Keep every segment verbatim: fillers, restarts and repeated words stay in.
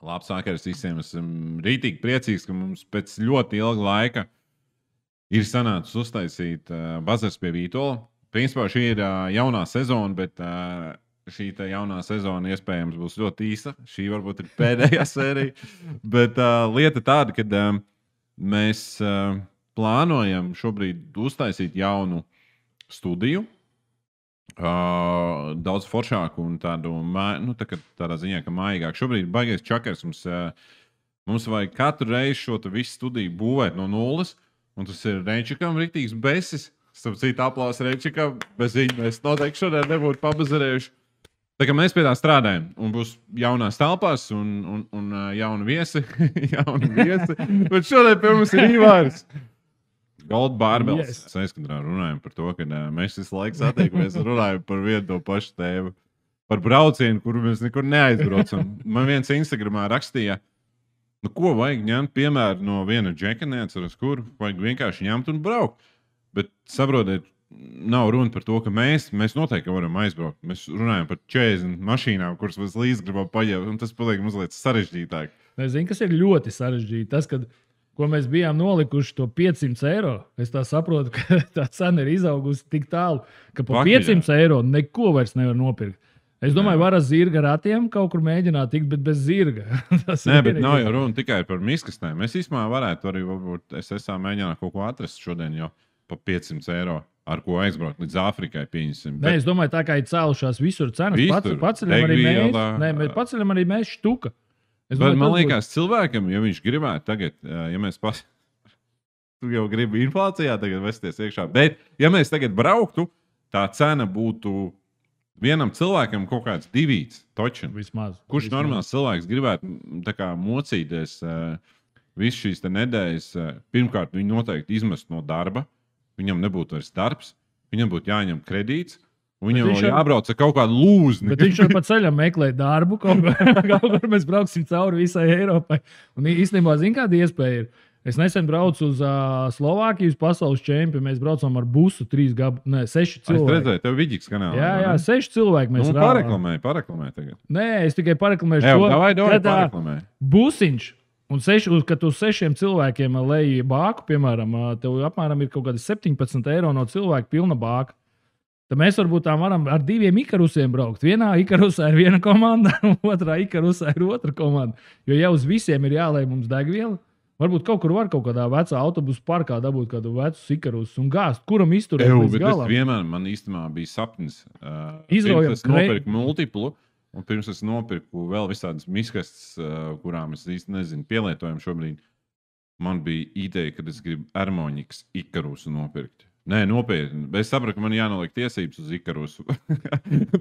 Labs vakars visiem. Esmu rītīgi priecīgs, ka mums pēc ļoti ilga laika ir sanācis uztaisīt uh, bazars pie Vītola. Principā šī ir uh, jaunā sezona, bet uh, šī jaunā sezona iespējams būs ļoti īsa. Šī varbūt ir pēdējā sērija. Bet uh, lieta tāda, ka uh, mēs uh, plānojam šobrīd uztaisīt jaunu studiju. Uh, daudz foršāku un tādu nu, tā, tādā ziņā, ka mājīgāk. Šobrīd ir baigais čakars. Mums, uh, mums vajag katru reizi šo visu studiju būvēt no nulles. Un tas ir Reinčikam rīktīgs besis. Starp citu, aplausu Reinčikam. Bez viņa mēs noteikti šodien nebūtu pabazarējuši. Tā kā mēs pie tā strādājam. Un būs jaunās telpās un, un, un uh, jauni viesi. jauni viesi. Bet šodien pie mums ir Ivārs. Gold Barbels. Yes. Mēs aizkadrā runājam par to, ka uh, mēs visu laiku satiekamies un runājam par vienu to pašu tēmu. Par braucienu, kuru mēs nekur neaizbraucam. Man viens Instagramā rakstīja, nu ko vajag ņemt piemēru no viena džeka, neatceros, kur vajag vienkārši ņemt un braukt. Bet saprotiet, nav runa par to, ka mēs, mēs noteikti varam aizbraukt. Mēs runājam par četrdesmit mašīnām, kuras mēs līdz gribam paņemt, un tas paliek mazliet sarežģītāk. Es zinu, kas ir ļoti sarežģīti. Tas, kad ko mēs bijām nolikuši to piecsimt eiro. Es tā saprotu, ka tā cena ir izaugusi tik tālu, ka par piecsimt eiro neko vairs nevar nopirkt. Es domāju, var ar zirga ratiem kaut kur mēģināt tikt, bet bez zirga. Nē, bet nav jau runa tikai par miskastēm. Mēs īstenībā varētu arī, varbūt, es esmu mēģināt kaut ko atrast šodien jau par piecsimt eiro, ar ko aizbraukt līdz Āfrikai, pieņemsim. Bet... Nē, es domāju, tā kā ir cēlušās visur cenas, visur, paceļam arī mēs. Nē, bet paceļam arī mēs štuka. Es bet domāju, man liekas, būtu... cilvēkam, ja viņš gribētu tagad, ja mēs pas... tu jau gribi inflācijā tagad vesties iekšā, bet ja mēs tagad brauktu, tā cena būtu vienam cilvēkam kaut kāds divīts, točin. Vismaz. Kurš vismaz. Normāls cilvēks gribētu tā kā mocīties uh, visu šīs te nedēļas, uh, pirmkārt viņu noteikti izmest no darba, viņam nebūtu vairs darbs, viņam būtu jāņem kredīts, viņam vēl jābrauc ar kaut kādu lūzni. Bet viņš jau pa ceļam meklē darbu, kaut kur mēs brauksim cauri visai Eiropai. Un īstenībā, zin, kāda iespēja ir? Es nesen braucu uz uh, Slovākijas pasaules čempionu, mēs braucam ar busu trīs gabu, ne, seši cilvēki. Es redzēju, tev Viģiks kanālā. Jā, jā, seši cilvēki mēs nu, rāvām. Pareklamēju, pareklamēju tagad. Nē, es tikai pareklamēšu Ew, to. Davai, davai, pareklamēju. Busiņš. Un seši, kad uz sešiem cilvēkiem leji bāku, piemēram, tev apmēram ir kaut kādi septiņpadsmit eiro no cilvēka pilna bāka. Tad mēs varbūt tā varam ar diviem ikarusiem braukt. Vienā ikarusā ir viena komanda, un otrā ikarusā ir otra komanda. Jo jau uz visiem ir jālej mums degviela. Varbūt kaut kur var kaut kādā vecā autobusu parkā dabūt kādu vecu ikarusu un gāzt, kuram izturēt līdz galam. Vienmēr man īstenībā bija sapnis. Uh, Izraujam, pirms es nopirku multiplu, un pirms es nopirku vēl visādas miskastes, uh, kurām es īsti nezinu, pielietojam šobrīd. Man bija ideja, ka es gribu Ermoņikas ikarusu nopirkt. Nē, nopietni. Es sapratu, ka man jānoliek tiesības uz ikarusu.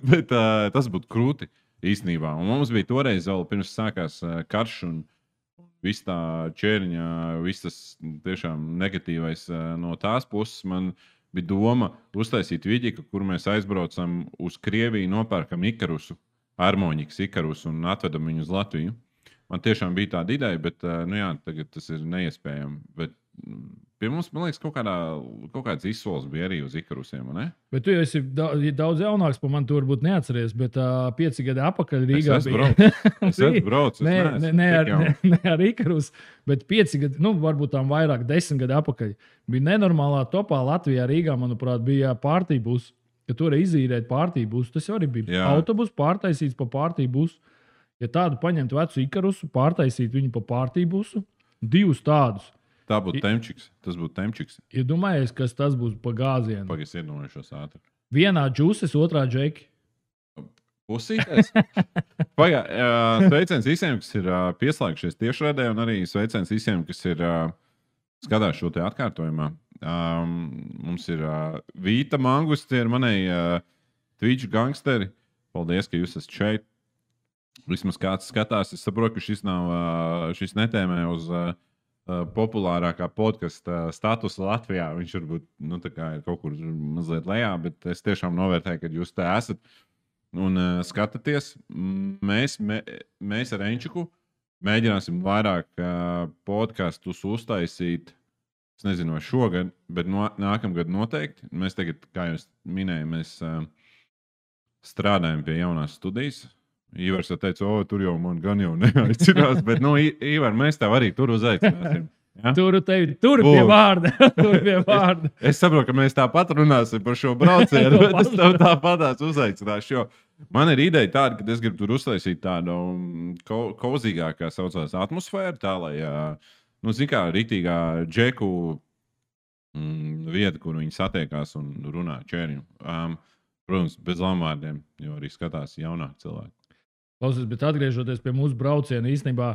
Bet uh, tas būtu krūti īstenībā. Un mums bija toreiz vēl pirms sākās uh, karš un viss tā ķēriņa, viss tas tiešām negatīvais no tās puses. Man bija doma uztaisīt Viģiku, kur mēs aizbraucam uz Krieviju, nopērkam ikarusu, Ermoņikas ikarusu un atvedam viņu uz Latviju. Man tiešām bija tāda ideja, bet nu jā, tagad tas ir neiespējami. Bet pie mums, man liekas, kaut, kādā, kaut kāds izsoles bija arī uz ikarusiem, ne? Bet tu jau esi daudz jaunāks par mani, tu varbūt neatceries, bet uh, pieci gadi apakaļ Rīgā es bija. Es esmu braucis. Nē, ne, ne, ar, ne, ne ar ikarus, bet pieci gadi, nu varbūt tām vairāk, desmit gadi apakaļ. Bija nenormālā topā Latvijā, Rīgā, manuprāt, bija pārtībus, ka tu vari izīrēt pārtībus. Tas arī bija jā. Autobus pārtaisīts pa pārtībusu. Ja tādu paņemt vecu ikarusu, pārtaisīt viņu pa pārtībusu, divus tādus. Tā būtu temčiks. Tas būtu temčiks. Ja domājies, kas tas būs pa gāzienu? Pagaidzi iedomājušos ātri. Vienā džuses, otrā džeki. Pusīties? Pagā, uh, sveiciens visiem, kas ir uh, pieslēgšies tiešraidē, un arī sveiciens visiem, kas ir uh, skatās šo te atkārtojumā. Um, mums ir uh, Vīta Mangusti, ir manai uh, Twitch gangsteri. Paldies, ka jūs esat šeit. Vismaz kāds skatās. Es saprotu, ka šis, nav, uh, šis netēmē uz uh, populārākā podkasta statusa Latvijā. Viņš varbūt nu, ir kaut kur mazliet lejā, bet es tiešām novērtēju, ka jūs te esat un uh, skatāties. Mēs, mē, mēs ar Enčiku mēģināsim vairāk uh, podkastus uztaisīt. Es nezinu, vai šogad, bet no, nākamgad noteikti. Mēs tagad, kā jūs minējāt, mēs uh, strādājam pie jaunās studijas. Ivars teica, o, tur jau man gan jau neaicinās, bet, nu, Ivar, mēs tev arī tur uzaicināsim. Ja? Tur, tevi, tur pie vārda. tur pie vārda. Es, es saprotu, ka mēs tāpat runāsim par šo braucienu, bet es tev tāpatās uzaicināšu, jo man ir ideja tāda, ka es gribu tur uztaisīt tādu ko, kozīgāku, kā saucās, atmosfēru, tā, lai, nu, zin kā, ritīgā džeku mm, vieta, kur viņi satiekās un runā čēriņu. Um, protams, bez lamvārdiem, jo arī skatās jaunāki cilvēki. Klausies, bet atgriežoties pie mūsu brauciena, īstenībā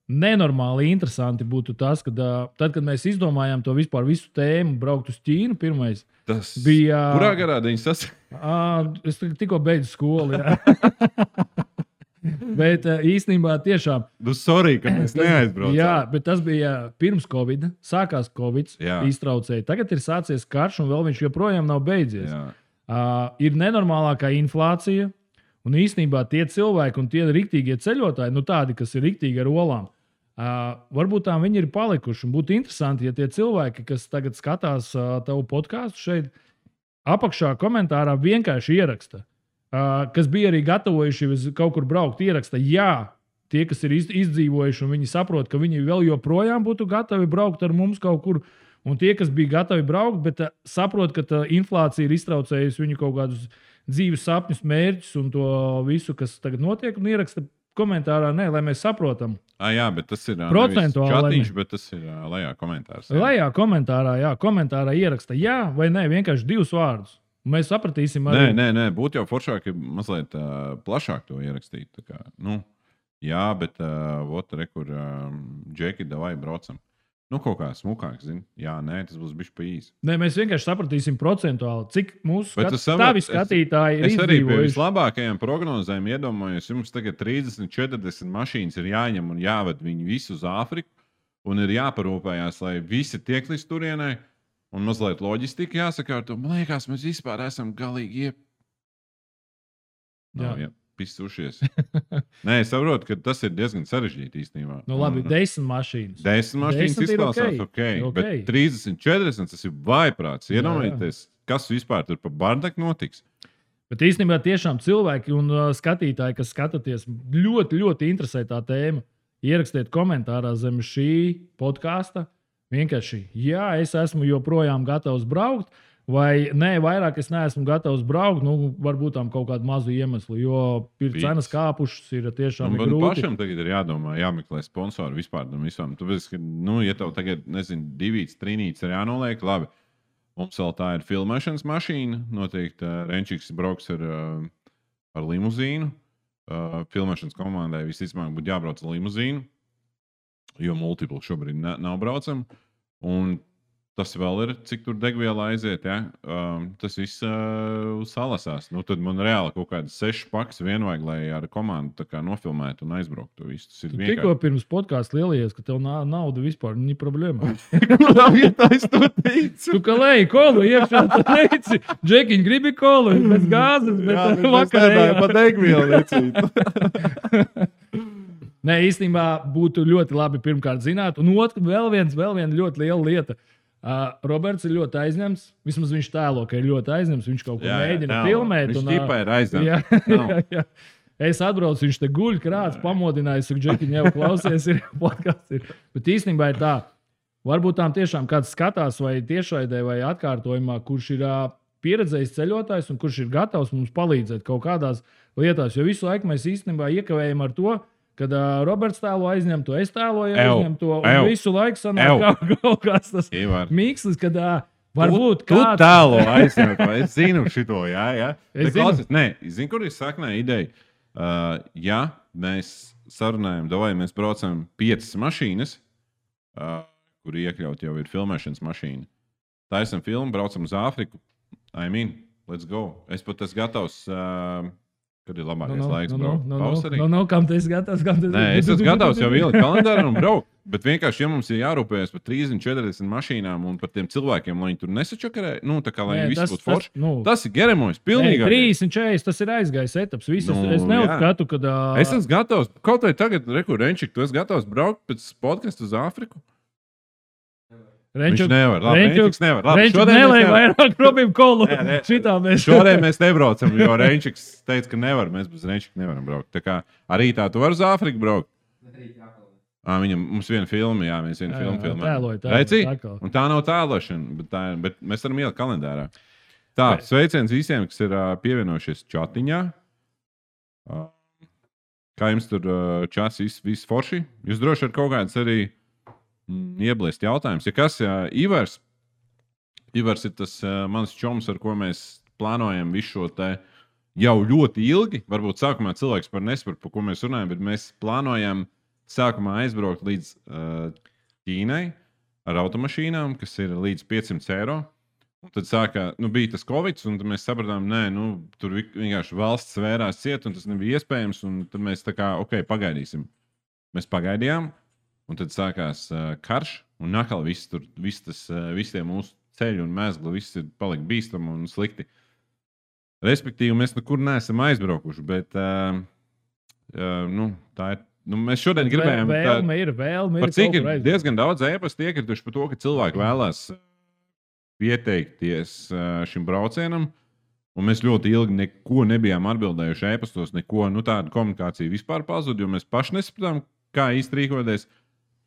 nenormāli interesanti būtu tas, ka tad, kad mēs izdomājām to vispār visu tēmu, braukt uz Ķīnu, pirmais tas bija. Kurā garā viņš sasprāstīja? Es tikko beidzu skolu. Bet īstenībā tiešām. Nu, sorry, ka mēs neaizbraucām. Jā, bet tas bija pirms Covid. Sākās Covid, jā. Iztraucēja. Tagad ir sācies karš, un vēl viņš joprojām nav beidzies. Uh, ir nenormālākā inflācija. Un īstenībā tie cilvēki un tie riktīgie ceļotāji, nu tādi, kas ir riktīgi ar olām, uh, varbūt tā viņi ir palikuši. Un būtu interesanti, ja tie cilvēki, kas tagad skatās uh, tavu podkāstu šeit, apakšā komentārā vienkārši ieraksta, uh, kas bija arī gatavojuši kaut kur braukt, ieraksta, jā, tie, kas ir izdzīvojuši un viņi saprot, ka viņi vēl joprojām būtu gatavi braukt ar mums kaut kur, un tie, kas bija gatavi braukt, bet uh, saprot, ka tā inflācija ir iztraucējusi viņu kaut kādus dzīves sapņus, mērķus un to visu, kas tagad notiek, un ieraksta komentārā, nē, lai mēs saprotam. Ah, jā, bet tas ir procentuāli. Čatiņš, bet tas ir uh, lejā komentārs. Jā. Lejā komentārā, jā, komentārā ieraksta jā vai nē, vienkārši divus vārdus. Un mēs sapratīsim arī. Nē, nē, nē, būtu jau foršāk, ja mazliet uh, plašāk to ierakstīt. Tā kā, nu, jā, bet uh, ot, re, kur uh, džeki, davai braucam. Nu, kaut kā smukāk, zini. Jā, nē, tas būs bijis pa īsi. Nē, mēs vienkārši sapratīsim procentuāli, cik mūsu skat... tavi skatītāji es, ir izdzīvojuši. Es arī pie vislabākajiem prognozēm iedomājos, jums tagad trīsdesmit, četrdesmit mašīnas ir jāņem un jāved viņi visu uz Āfriku, un ir jāparūpējās, lai visi tiek līdz turienai, un mazliet loģistika jāsakārto. Man liekas, mēs vispār esam galīgi iep... Jā. Nav, jā. Pisušies. Nē, es saprotu, ka tas ir diezgan sarežģīti īstenībā. Nu, labi, desmit mašīnas. Desmit mašīnas izklausās ok, okay. Bet trīsdesmit, četrdesmit tas ir vājprāts. Iedomājieties, kas vispār tur pa bardaku notiks. Bet īstenībā tiešām cilvēki un uh, skatītāji, kas skatāties, ļoti, ļoti interesē tā tēma. Ierakstiet komentārā zem šī podkāsta. Vienkārši, jā, es esmu joprojām gatavs braukt. Vai nē, vairāk es neesmu gatavs braukt, nu, varbūt tam kaut kādu mazu iemeslu, jo ir cenas kāpušas, ir tiešām nu, grūti. Man pašam tagad ir jādomā, jāmeklē sponsori vispār tam visam. Tāpēc, ka, nu, ja tev tagad, nezinu, divīts, trīnīts ir jānoliek, labi, mums vēl tā ir filmēšanas mašīna, noteikti uh, Renčiks brauks ar, uh, ar limuzīnu. Uh, filmēšanas komandai visticamāk būtu jābrauc ar limuzīnu, jo multipli šobrīd ne, nav braucam. Un tas vēl ir, cik tur degviela aiziet. Ja? Um, tas viss uh, salasās. Nu, tad man reāli kaut kādas sešas pakas vien vajag, lai ar komandu nofilmētu un aizbrauktu. Tu tikko pirms podkāstu lielies, ka tev nav nauda vispār, nav problēma. Ja tā es to teicu. Tu kā lej, kolu iekšā, tu teici, Džekiņ, gribi kolu, bez gāzes, bet jā, vakarējā. Pa degvielu lecīt. Nē, īstenībā būtu ļoti labi pirmkārt zināt. Un otrs, vēl viens, vēl viena ļoti liela lieta. Uh, Roberts ir ļoti aizņemts. Vismaz viņš tēlo, ka ir ļoti aizņemts. Viņš kaut ko jā, mēģina jā, filmēt. Viņš un, ķipā ir aizņemts. Jā, jā, jā. Es atbraucu, viņš te guļ krāts, pamodināju, saku, Džekiņ, jau klausies, ir podkāsts. Ir. Bet īstenībā ir tā, varbūt tām tiešām kāds skatās vai tiešraidē vai atkārtojumā, kurš ir uh, pieredzējis ceļotājs un kurš ir gatavs mums palīdzēt kaut kādās lietās. Jo visu laiku mēs īstenībā iekavējam ar to, kad uh, Roberts tēlo aizņem to, es tēloju aizņem to, un Ew. visu laiku sanāk kaut, kaut kāds tas mikslis, kad uh, varbūt tu, kāds... Tu tēlo aizņem to, es zinu šito, jā, jā. Es zinu. Klausies, nē, zinu, kur ir saknē ideja. Uh, ja mēs sarunājam, davai mēs braucam piecas mašīnas, uh, kur iekļaut jau ir filmēšanas mašīna. Taisam filmu, braucam uz Āfriku. I mean, let's go. Es pat esmu gatavs... Uh, Kad ir labākais no, no, laiks, no, braukt? No, no, no, no, no, kam tu esi gatavs? Kam tu esi? Nē, es esmu gatavs jau ielikt kalendārā un braukt. Bet vienkārši, ja mums ir jārūpējas par trīsdesmit, četrdesmit mašīnām un par tiem cilvēkiem, lai viņi tur nesačakarē, nu, tā kā lai Nē, viņi visi būtu forši. Nu, tas ir geremojs, pilnīgi. trīsdesmit, četrdesmit, tas ir aizgājis etaps. Viss, nu, es neuzskatu, ka... Uh... Es esmu gatavs, kaut vai tagad, reku, Renčik, tu esi gatavs braukt pēc podcastu uz Āfriku? Viņš nevar. Labi, Renčiks nevar. Labi, Renčiks nelēja vairāk Robim Kolu. Šitā mēs. Šodien mēs nebraucam, jo Renčiks teica, ka nevar. Mēs bez Renčika nevaram braukt. Tā kā arī tā tu vari uz Āfriku braukt. À, viņam, mums viena filma, jā, mēs vienu filmu filmējam. Tēloju, tēloju. Un tā nav tēlošana, bet, tā, bet mēs varam ielikt kalendārā. Tā, sveiciens visiem, kas ir uh, pievienojušies čatiņā. Uh, kā jums tur uh, čats viss vis forši? Jūs droši ar kaut kādas arī mm, iebliest jautājums. Ja kas, uh, Ivars, Ivars ir tas uh, mans čoms, ar ko mēs plānojam visu šo te jau ļoti ilgi. Varbūt sākumā cilvēks par nesapratu, par ko mēs runājam, bet mēs plānojam sākumā aizbraukt līdz uh, Ķīnai ar automašīnām, kas ir līdz piecsimt eiro. Un tad sākā, nu, bija tas Covid, un tad mēs sapratām, nē, nu, tur vienkārši valsts svērās ciet, un tas nebija iespējams. Un tad mēs tā kā, ok, pagaidīsim. Mēs pagaidījām, un tad sākās uh, karš, un nakal viss tur, viss tas, uh, visi tie mūsu ceļi un mēzgli, viss ir palika bīstami un slikti. Respektīvi, mēs nekur neesam aizbraukuši, bet uh, uh, nu, tā ir. Nu, mēs šodien gribējām. Vēlme ir, vēlme ir. Par cik ir diezgan daudz ēpastu iekrituši par to, ka cilvēki vēlās pieteikties šim braucienam, un mēs ļoti ilgi neko nebijām atbildējuši ēpastos, neko, nu tāda komunikācija vispār pazuda, jo mēs paši nesapratām, kā īsti rīkoties.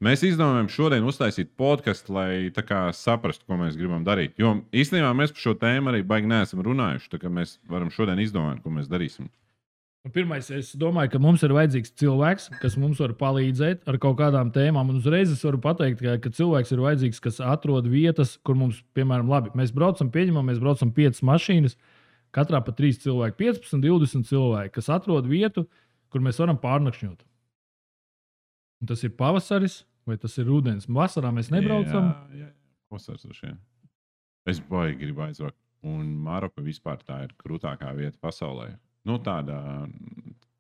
Mēs izdomājām šodien uztaisīt podcastu, lai tā kā saprastu, ko mēs gribam darīt. Jo īstenībā mēs par šo tēmu arī baigi neesam runājuši, tā kā mēs varam šodien izdomāt, ko mēs darīsim. Pirmais, es domāju, ka mums ir vajadzīgs cilvēks, kas mums var palīdzēt ar kaut kādām tēmām. Un uzreiz es varu pateikt, ka, ka cilvēks ir vajadzīgs, kas atrod vietas, kur mums, piemēram, labi, mēs braucam, pieņemam, mēs braucam piecas mašīnas, katrā pa trīs cilvēki, piecpadsmit, divdesmit cilvēki, kas atrod vietu, kur mēs varam pārnakšņot. Un tas ir pavasaris vai tas ir rudens. Vasarā mēs nebraucam. Jā, jā, vasars ar šiem. Es baigi gribu aizvakt. Un Maroka vispār tā ir krūtākā vieta pasaulē. Nu, tāda,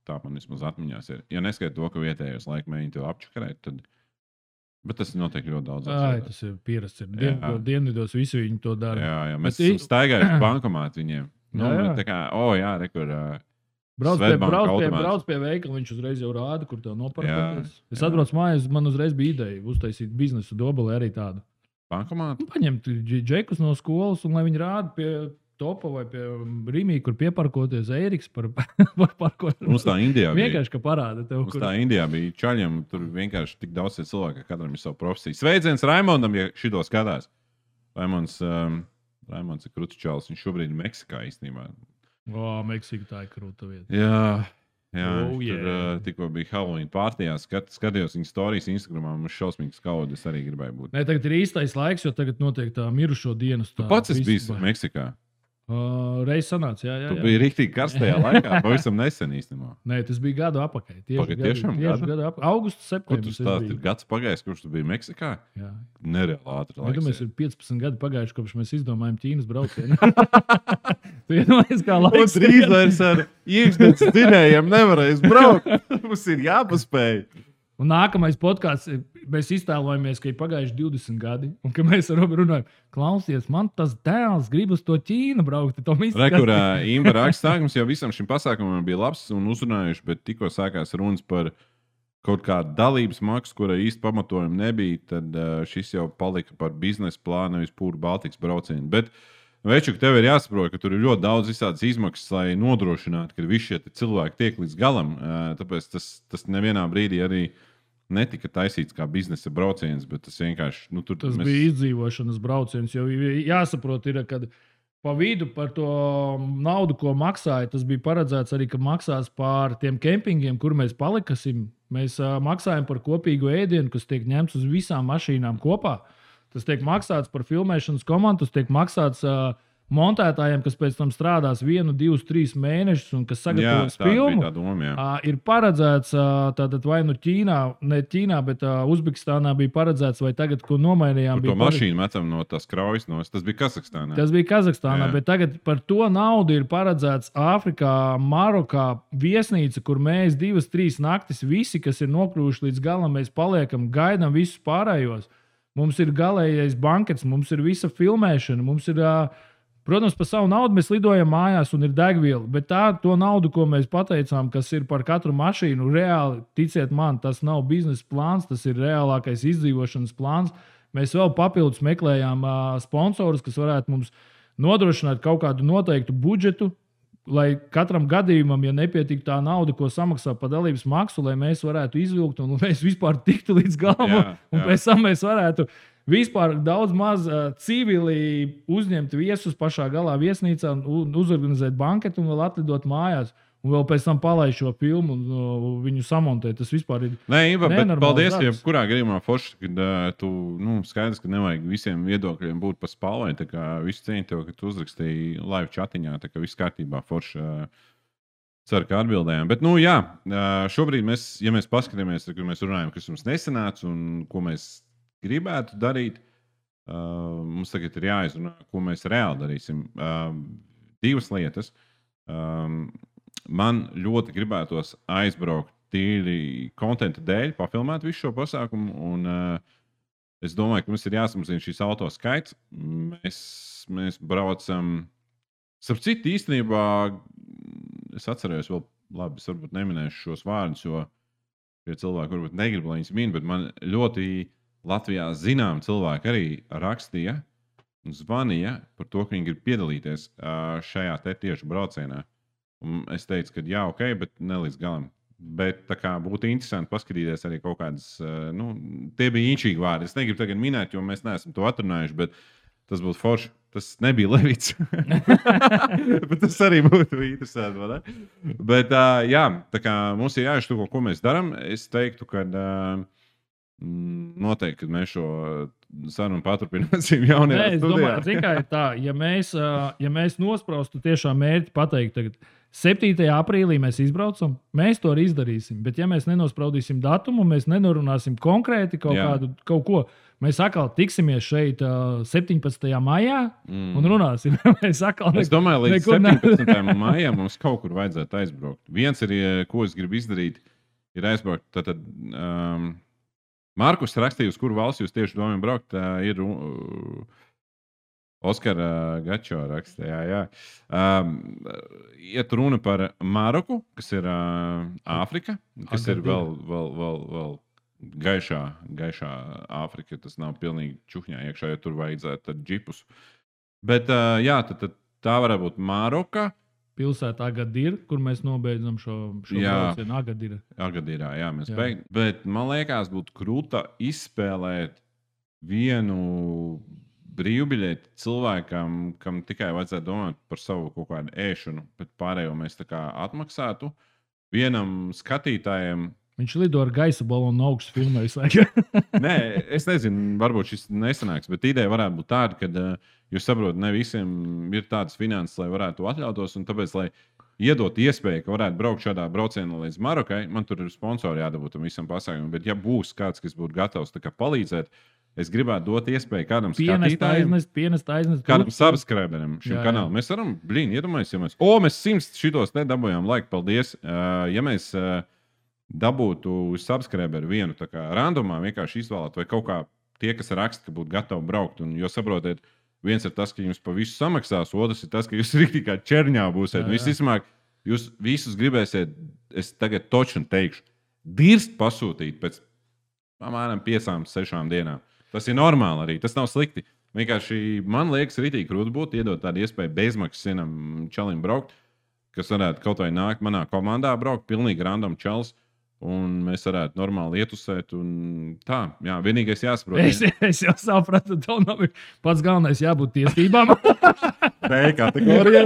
tā man vismaz atmiņās ir. Ja neskaidro to, ka vietējos laika mēģina to apčakarēt, tad... Bet tas notiek ļoti daudz. Ai, tas ir pierasts. Dien, dienvidos visi viņi to dara. Jā, jā. Mēs esam staigājuši bankomātu viņiem. Nu, jā, jā. Tā kā, o, oh, jā, rekur... Brauc pie, brauc, pie, brauc pie veikala, viņš uzreiz jau rāda, kur tev noparkoties. Es atbraucu mājās, man uzreiz bija ideja uztaisīt biznesu Dobelē arī tādu. Bankomātu? Paņemt džekus no skolas un lai viņi rāda pie... Topa vai pie Rīmī, kur pieparkoties Eiriks par, par parkošanu. Mums tā Indijā bija. Vienkārši, ka parāda tev, Mums kur... tā Indijā bija čaļiem, tur vienkārši tik daudz cilvēku, ka katram ir savu profesiju. Sveiciens Raimondam, ja šito skatās. Raimonds, um, Raimonds ir krūts čalis, viņš šobrīd ir Meksikā īstenībā. O, Meksika tā ir krūta vieta. Jā, jā oh, tur yeah. uh, tikko bija Halloween pārtījā, skat, skatījos viņa storijas Instagramā, mums šausmīgs kaudu, es arī gribēju būt. Nē, tagad ir īstais laiks, jo tagad notiek tā mirušo dienas. Tā, tu pats esi bijis Meksikā? Uh, Reiz sanāca, jā, jā. Tu biji riktīgi karstajā laikā, pavisam nesen īstenībā. Nē, tas bija gadu apakaļ. Tieši Pagad, gadu, tiešām tieši gadu? gadu apakaļ. Augusts, septembris. Kur tu stāsti, ir gads pagājis, kurš tu biji Meksikā? Jā. Nereāli ātri laiks. Mēs ir piecpadsmit gadi pagājuši, kopš mēs izdomājam Ķīnas braucienu. Tu iedomājies, kā laiks. Un drīz vairs ar iekšdienas dzinējiem nevarēs braukt. Mums ir jāpaspēj. Un nākamais podkāsts, mēs iztēlojamies, ka ir pagājuši divdesmit gadi, un ka mēs ar Robu runājam, klausies, man tas dēls grib uz to Ķīnu braukt. Rekurā Imba rakstā, mums jau visam šim pasākumam bija labs un uzrunājuši, bet tikko sākās runas par kaut kādu dalības maksu, kurai īsti pamatojumi nebija, tad šis jau palika par biznesa plānu, nevis pūru Baltikas braucienu. Bet, Večuk, tev ir jāsaprot, ka tur ir ļoti daudz visādas izmaksas, lai nodrošinātu, ka visi šie cilvēki tiek līdz galam. Tāpēc tas, tas nevienā brīdī arī netika taisīts kā biznesa brauciens, bet tas vienkārši... Nu, tur, tas mēs... bija izdzīvošanas brauciens, jo jāsaprot ir, ka pa vidu par to naudu, ko maksāja, tas bija paredzēts arī, ka maksās pār tiem kempingiem, kur mēs palikasim. Mēs uh, maksājam par kopīgu ēdienu, kas tiek ņemts uz visām mašīnām kopā. Tas tiek maksāts par filmēšanas komandu, tas tiek maksāts... Uh, montētājiem, kas pēc tam strādās vienu, divus, trīs mēnešus un kas sagatavos jā, filmu, doma, uh, ir paredzēts uh, tātad vai nu Ķīnā, ne Ķīnā, bet uh, Uzbekistānā bija paredzēts, vai tagad, ko nomainījām. Tur to mašīnu metam no tās kraujas, no, tas bija Kazahstānā. Tas bija Kazahstānā, jā. Bet tagad par to naudu ir paredzēts Āfrikā, Marokā viesnīca, kur mēs divas, trīs naktis visi, kas ir nokļuvuši līdz galam, mēs paliekam, gaidām visus pārējos. Mums ir galējais bankets, mums ir visa filmēšana, mums ir... Uh, Protams, par savu naudu mēs lidojam mājās un ir degviela, bet tā to naudu, ko mēs pateicām, kas ir par katru mašīnu, reāli, ticiet man, tas nav biznesa plāns, tas ir reālākais izdzīvošanas plāns, Mēs vēl papildus meklējām uh, sponsorus, kas varētu mums nodrošināt kaut kādu noteiktu budžetu, lai katram gadījumam, ja nepietiek tā nauda, ko samaksā par dalības maksu, lai mēs varētu izvilkt un mēs vispār tiktu līdz galam, jā, jā. un pēc tam mēs varētu vispār daudz maz uh, civili uzņemt viesus pašā galā viesnīcā un uzorganizēt banketu un vēl atlidot mājās. Un vēl pēc tam palaist šo filmu un uh, viņu samontēt. Tas vispār ir. Nē, Iva, bet paldies, ja kurā gadījumā forši, kad uh, tu, nu, skaidrs, ka nevajag visiem viedokļiem būt pa spalvai. Tā kā visu cieņu tev, ka tu uzrakstīji live chatiņā, tā kā viss kārtībā forši. Uh, ceru, ka atbildējām. Bet, nu, jā, uh, šobrīd mēs, ja mēs paskatāmies, tad, kad mēs runājam, kas mums nesanāca un ko mēs gribētu darīt, uh, mums tagad ir jāizrunā, ko mēs reāli darīsim. Uh, divas lietas. Um, Man ļoti gribētos aizbraukt tīri kontenta dēļ, pafilmēt visu šo pasākumu. Un, uh, es domāju, ka mums ir jāsamazina šīs auto skaits. Mēs, mēs braucam. Starp citu, īstenībā es atceros, vēl labi, es varbūt neminēšu šos vārdus, jo šie cilvēki varbūt negrib, lai viņas min, bet man ļoti Latvijā zinām cilvēki arī rakstīja un zvanīja par to, ka viņi grib piedalīties uh, šajā te tieši braucienā. Un es teicu, ka jā, ok, bet ne līdz galam. Bet tā kā būtu interesanti paskatīties arī kaut kādas, nu, tie bija īņķīgi vārdi. Es negribu tagad minēt, jo mēs neesam to atrunājuši, bet tas būtu forši. Tas nebija Levits. Bet tas arī būtu interesanti, vai ne? Bet jā, tā kā mums ir jāiztuko, ko mēs darām. Es teiktu, ka noteikti, kad mēs šo sarunu paturpināsim jaunajā Nē, es studijā. Domāju, tikai tā, ja mēs, ja mēs nospraustu tiešām mērķi pateikt tagad, septītajā aprīlī mēs izbraucam, mēs to arī izdarīsim. Bet ja mēs nenospraudīsim datumu, mēs nenorunāsim konkrēti kaut Jā. kādu kaut ko, mēs atkal tiksimies šeit uh, septiņpadsmitajā maijā mm. un runāsim. mēs atkal es domāju, līdz septiņpadsmitajam maijam mums kaut kur vajadzētu aizbraukt. Viens ir, ko es gribu izdarīt, ir aizbraukt. Tātad, um, Markus rakstīja, uz kuru valsts jūs tieši domājat braukt, uh, ir uh, Oskara Gačo rakstīja. Jā, jā. Um, iet runa par Maroku, kas ir uh, Āfrika, kas Agadīra. ir vēl, vēl, vēl, vēl gaišā, gaišā Āfrika. Tas nav pilnīgi čuhņā iekšā, ja tur vajadzētu džipus. Bet uh, jā, tad, tad tā varētu būt Maroka. Pilsēta Agadīra, kur mēs nobeidzam šo, šo braucienu. Agadīra. Agadīrā, jā, mēs beigām. Bet man liekas, būtu krūta izspēlēt vienu brīvbiļeti cilvēkam, kam tikai vajadzētu domāt par savu kaut kādu ēšanu, bet pārējo mēs tā kā atmaksātu. Vienam skatītājam. Viņš lido ar gaisa balonu augstu filmēs. Nē, es nezinu, varbūt šis nesanāks, bet ideja varētu būt tāda, ka uh, jūs saprotat, ne visiem ir tādas finanses, lai varētu to atļautos, un tāpēc, lai iedot iespēju, ka varētu braukt šādā braucienā līdz Marokai, man tur ir sponsori jādabūt tam visam pasākumam, bet ja būs kāds, kas būtu gatavs tā kā palīdzēt, es gribētu dot iespēju kādam skatītājam, pienest aiznes, kādam subscriberim šim jā, kanālam. Jā. Mēs varam, blīn, iedomājies, ja mēs, o, mēs simts šitos nedabūjām, laika, paldies. Uh, ja mēs uh, dabūtu subscriberu vienu tā kā randomā vienkārši izvēlēt, vai kaut kā tie, kas raksta, ka būtu gatavi braukt, un jo saprotiet, viens ir tas, ka jums pa visu samaksās, otrs ir tas, ka jūs rīktī kā čerņā būsiet. Visticamāk, jūs visus gribēsiet, es tagad toču teikšu, dirst pasūtīt pēc apmēram piecām, sešām dienām. Tas ir normāli arī, tas nav slikti. Vienkārši man liekas, rītīgi krūti būtu iedot tādu iespēju bezmaksas vienam čalim braukt, kas varētu kaut vai nākt manā komandā braukt, pilnīgi random čals, un mēs varētu normāli ietusēt. Un tā, jā, vienīgais jāsaprot. Es, es jau sapratu, tev nav pats galvenais jābūt tiesībām. B kategorijā.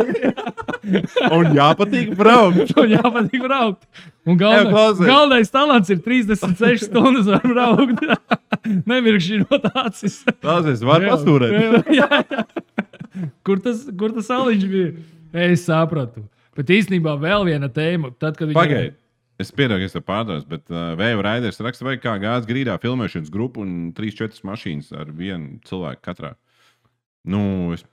Un jāpatīk braukt. Un jāpatīk braukt. Un galvenais, galvenais talants ir trīsdesmit sešas stundas var braukt. Nemirkšķinot acis. Tās es varu pastūrēt. jā, jā. Kur tas, kur tas aliņš bija? Es sapratu. Bet īstenībā vēl viena tēma. Tad, kad viņi... Pagaid. Es piedodu, ka es tev pārdās, bet uh, Vēju Raiders raksta, vai kā gāz grīdā filmēšanas grupu un trīs četras mašīnas ar vienu cilvēku katrā. Nu, es...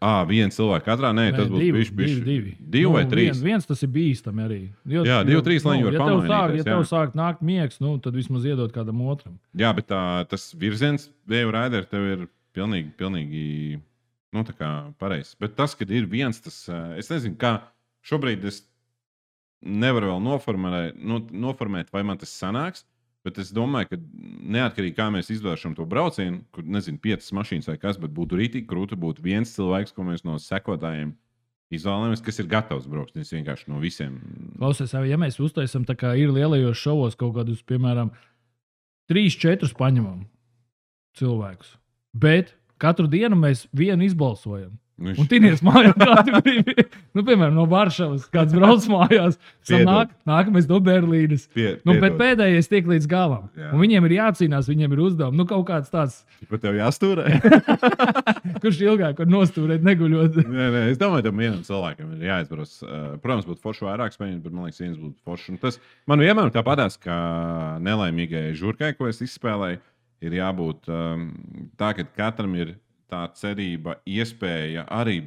Ā, viens cilvēks katrā? Nē, Nē tas būs divi, bišķi, bišķi. Divi, divi. Divi nu, vai trīs? Viens, viens tas ir bīstami arī. Jo, jā, divi, trīs, lai viņi var ja pamainīties. Ja tev sāk nākt miegs, nu, tad vismaz iedot kādam otram. Jā, bet tā, tas virziens Vēju Raiders tev ir pilnīgi, pilnīgi, nu, tā kā pareizs. Bet tas, kad ir viens, tas, es nezinu, kā šobrīd es nevaru vēl noformēt, nu, noformēt vai man tas sanāks, Bet es domāju, ka neatkarīgi kā mēs izvēršam to braucienu, kur nezinu, piecas mašīnas vai kas, bet būtu rītīgi krūti, būtu viens cilvēks, ko mēs no sekotājiem izvēlamies, kas ir gatavs braukt. Es vienkārši no visiem. Klausies, ja mēs uztaisam tā kā ir lielajos šovos kaut kādus, piemēram, trīs, četrus paņemam cilvēkus, bet katru dienu mēs vienu izbalsojam. Viņš... Un tinies mājās, kā tu gribi. Nu, piemēram, no Varšavas kāds brauc mājās, nāk, nākamais no Berlīnes. Pie, nu, bet pēdējais tiek līdz galam. Jā. Un viņiem ir jācīnās, viņiem ir uzdevumi. Nu, kaut kāds tāds. Pat tev jāstūrē? Kurš ilgāk var nostūrēt, neguļot? Nē, nē, es domāju, ka vienam cilvēkam ir jāizbrauc. Protams, būtu forši vairāk spēļņu, bet man liekas, viens būtu forši. Un tas man vienmēr tāpatās, kā nelaimīgai žurkai, ko es izspēlēju, ir jābūt um, tā, ka katram ir tā cerība, iespēja arī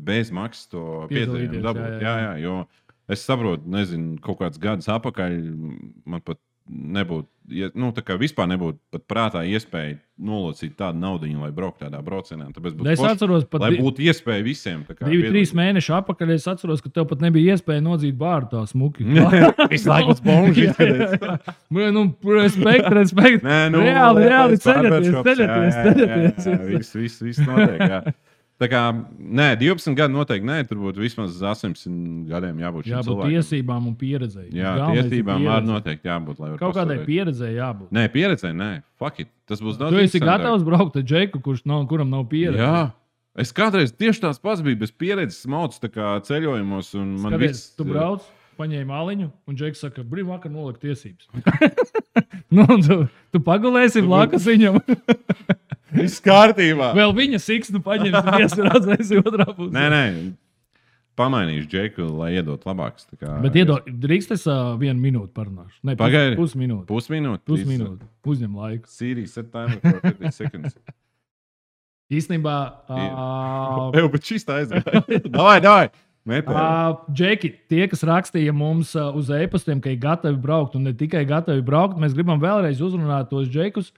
bez maksas to piedzīvojumu dabūt. Jā, jā. Jā, jā, jo es saprotu, nezinu, kaut kāds gadus atpakaļ man pat nebūtu, nu, tā kā vispār nebūtu pat prātā iespēja nolocīt tādu naudiņu, lai brauktu tādā braucienā. Tāpēc būtu forši, atceros, lai būtu iespēja visiem. Divi, trīs mēneši atpakaļ es atceros, ka tev pat nebija iespēja nodzīt bārdu tā smuki. Visu laiku uz bonži izskatās. Nu, respekt, respekt. Nē, nu, reāli, reāli ceļaties, ceļaties, ceļaties. Viss, viss, viss notiek, jā. Tā kā, nē, divdesmit gadi noteikti nē, tur būtu vismaz astoņsimt gadiem jābūt šim cilvēkam. Jābūt tiesībām un pieredzēji. Jā, Galvenais tiesībām arī noteikti jābūt. Kaut kādai pieredzēji jābūt. Nē, pieredzēji, nē, fuck it. Tas būs daudz. Tu esi gatavs braukt ar džeku, kurš nav, kuram nav pieredze. Jā. Es kādreiz tieši tās pats biju bez pieredzes mauc tā kā ceļojumos. Un man Skaties, viss... Tu brauc, paņēmi maliņu, un džeks saka, brīv vakar nolikt tiesības. nu, tu, tu pagulēsi blakus viņam. Viss kārtībā. Vēl viņa siksnu paņems un iesrādzēs otrā pusē. Nē, nē. Pamainīšu džeku, lai iedot labāks. Kā... Bet iedod, drīkst es uh, vienu minūti parunāšu. Ne, Pagaidi. Pus minūti. Pusminūti? Pusminūti. Uzņem laiku. Siri, set timer for fifty seconds. Īstenībā... Uh, Eju, bet šis tā aizgāja. Davai, davai. Uh, Džeki, tie, kas rakstīja mums uh, uz e-pastiem, ka ir gatavi braukt un ne tikai gatavi braukt, mēs gribam vēlreiz uzrunāt tos džekus.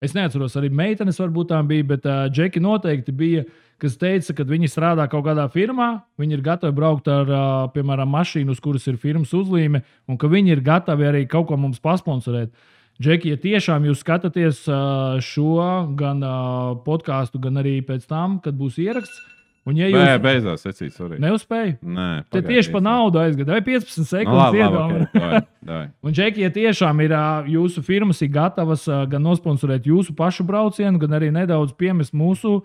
Es neatceros, arī meitenes varbūt tā bija, bet uh, džeki noteikti bija, kas teica, ka viņi strādā kaut kādā firmā, viņi ir gatavi braukt ar, uh, piemēram, mašīnu, uz kuras ir firmas uzlīme, un ka viņi ir gatavi arī kaut ko mums pasponsorēt. Džeki, ja tiešām jūs skatāties uh, šo gan uh, podkāstu, gan arī pēc tam, kad būs ieraksts, un ja jūs... Nē, beidzās, secīt, sorry. Neuzspēju? Nē, te tieši pa naudu aizgāja, vai piecpadsmit sekundes iedomājot. Okay, un, Džeki, ja tiešām ir jūsu firmas ir gatavas gan nosponsorēt jūsu pašu braucienu, gan arī nedaudz piemest mūsu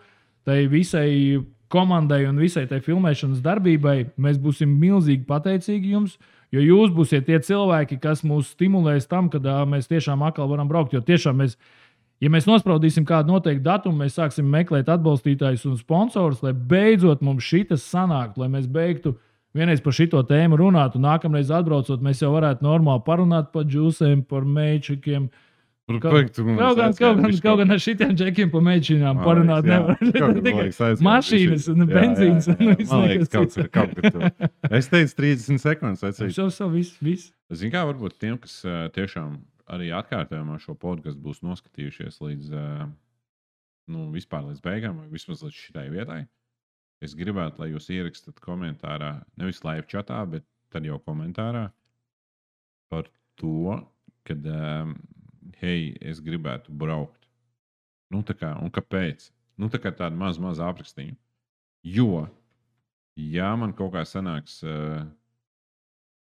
tai visai komandai un visai tai filmēšanas darbībai, mēs būsim milzīgi pateicīgi jums, jo jūs būsiet tie cilvēki, kas mūs stimulēs tam, kad mēs tiešām atkal varam braukt, jo tiešām mēs Ja mēs nospraudīsim kādu noteiktu datumu, mēs sāksim meklēt atbalstītājus un sponsorus, lai beidzot mums šitas sanāktu, lai mēs beigtu vienreiz par šito tēmu runāt, un nākamreiz atbraucot, mēs jau varētu normāli parunāt par džūsēm, par meičikiem. Kaut gan, kaut gan ar šitiem džekiem par meičinām parunāt nevar. Tikai mašīnas un benzīns. Man liekas, kaut kur, kaut kur tu. Es teicu trīsdesmit sekundes. Šo, šo, viss, viss. Zin kā, varbūt tiem, kas tiešām arī atkārtojumā šo podcastu būs noskatījušies līdz, nu, vispār līdz beigām, vai vismaz līdz šitai vietai. Es gribētu, lai jūs ierakstat komentārā, nevis live chatā, bet tad jau komentārā par to, kad, hei, es gribētu braukt. Nu, tā kā, un kāpēc? Nu, tā kā tāda maz, maz aprakstīņu. Jo, ja man kaut kā sanāks uh,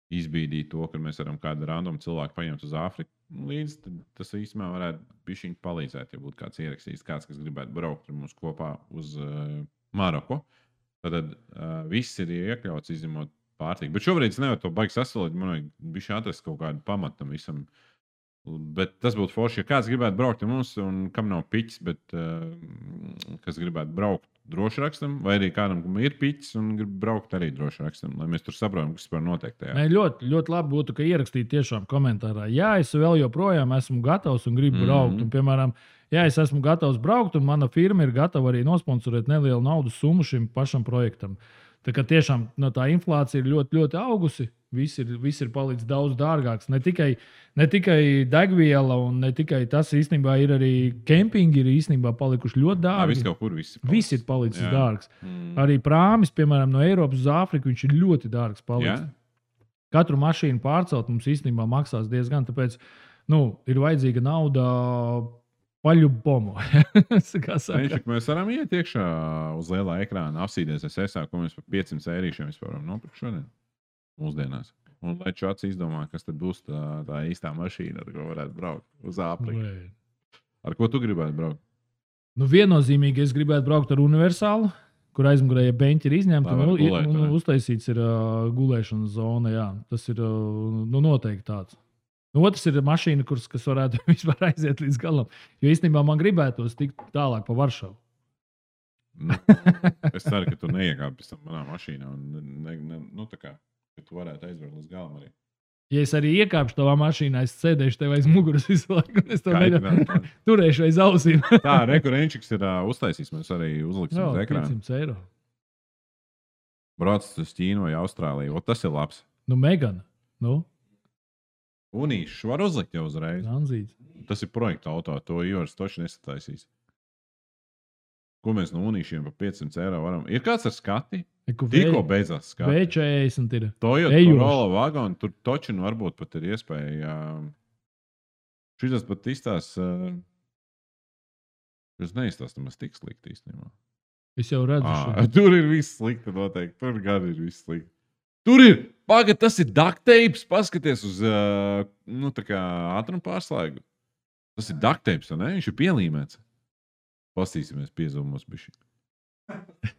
izbīdīt to, ka mēs varam kādu random cilvēku paņemt uz Āfriku līdz, tad tas īstenībā varētu bišķiņ palīdzēt, ja būtu kāds ierakstījis, kāds, kas gribētu braukt ar mums kopā uz uh, Maroku. Tad uh, viss ir iekļauts, izņemot pārtīku. Bet šobrīd es nevaru to baigi sasolīt, man vajag bišķi atrast kaut kādu pamatu tam visam. Bet tas būtu forši, ja kāds gribētu braukt ar mums, un kam nav piķis, bet uh, kas gribētu braukt droši rakstam, vai arī kādam, kam ir piķis un grib braukt arī droši rakstam, lai mēs tur saprotam, kas par notiek tajā. Nē, ļoti, ļoti labi būtu, ka ierakstīt tiešām komentārā. Jā, es vēl joprojām esmu gatavs un gribu mm-hmm. braukt. Un, piemēram, jā, es esmu gatavs braukt, un mana firma ir gatava arī nosponsorēt nelielu naudas summu šim pašam projektam. Tā kā tiešām no tā inflācija ir ļoti, ļoti augusi. Viss ir, viss ir palicis daudz dārgāks. Ne tikai, ne tikai degviela, un ne tikai tas īstenībā ir arī kempingi, ir īstenībā palikuši ļoti dārgi. Jā, viss kaut kur viss ir palicis. Viss ir palicis Jā. dārgs. Mm. Arī prāmis, piemēram, no Eiropas uz Āfriku, viņš ir ļoti dārgs palicis. Jā. Katru mašīnu pārcelt mums īstenībā maksās diezgan. Tāpēc nu, ir vajadzīga nauda paļu pomu. Viņš, mēs varam iet iekšā uz lielā ekrāna, apsīties es esā, ko mēs par piecsimt eirīšiem vispār varam nopirkt šodien mūsdienās. Un lai čats izdomā, kas tad būs tā, tā īstā mašīna, ar ko varētu braukt uz Āfriku. Ar ko tu gribētu braukt? Nu, viennozīmīgi es gribētu braukt ar universālu, kur aizmugurējie beņķi ir izņemti un, gulēt, un uztaisīts ir uh, gulēšanas zona. Jā. Tas ir uh, nu, noteikti tāds. Nu, otrs ir mašīna, kurs, kas varētu vispār aiziet līdz galam. Jo īstenībā man gribētos tikt tālāk pa Varšavu. Nu, es ceru, ka tu neiekāpi pēc tam manā mašīnā. Un ne, ne, nu, tā kā, ka tu varētu aizvērt līdz galam arī. Ja es arī iekāpšu tavā mašīnā, es sēdēšu tev aiz muguras visu laiku. Es tev mēģināšu turēšu aiz ausīm. Tā, rekurenčiks ir uh, uztaisījis. Mēs arī uzliksim uz ekrāna. piecsimt eiro. Brauc uz Ķīnu vai Austrāliju. O, tas ir labs. Nu, Megana. Nu? Unīšu var uzlikt jau uzreiz. Zanzīts. Tas ir projekta auto. To Ivars toši nesataisīs. Ko mēs no unīšiem par piecsimt eiro varam? Ir kāds ar skati? Tikko beidzās skati. V četrdesmit ir. Toyota Corolla vagoni. Tur točin varbūt pat ir iespēja. Šitas pat izstās. Es neizstāstu, mēs tik slikti īstenībā. Es jau redzu. À, tur ir viss slikti noteikti. Tur gan ir viss slikti. Tur ir. Pagad, tas ir duct tapes. Paskaties uz uh, nu, tā kā ātrumu pārslēgu. Tas ir duct tapes, ne? Viņš ir pielīmēts. Pastīsimies piezumos bišķi.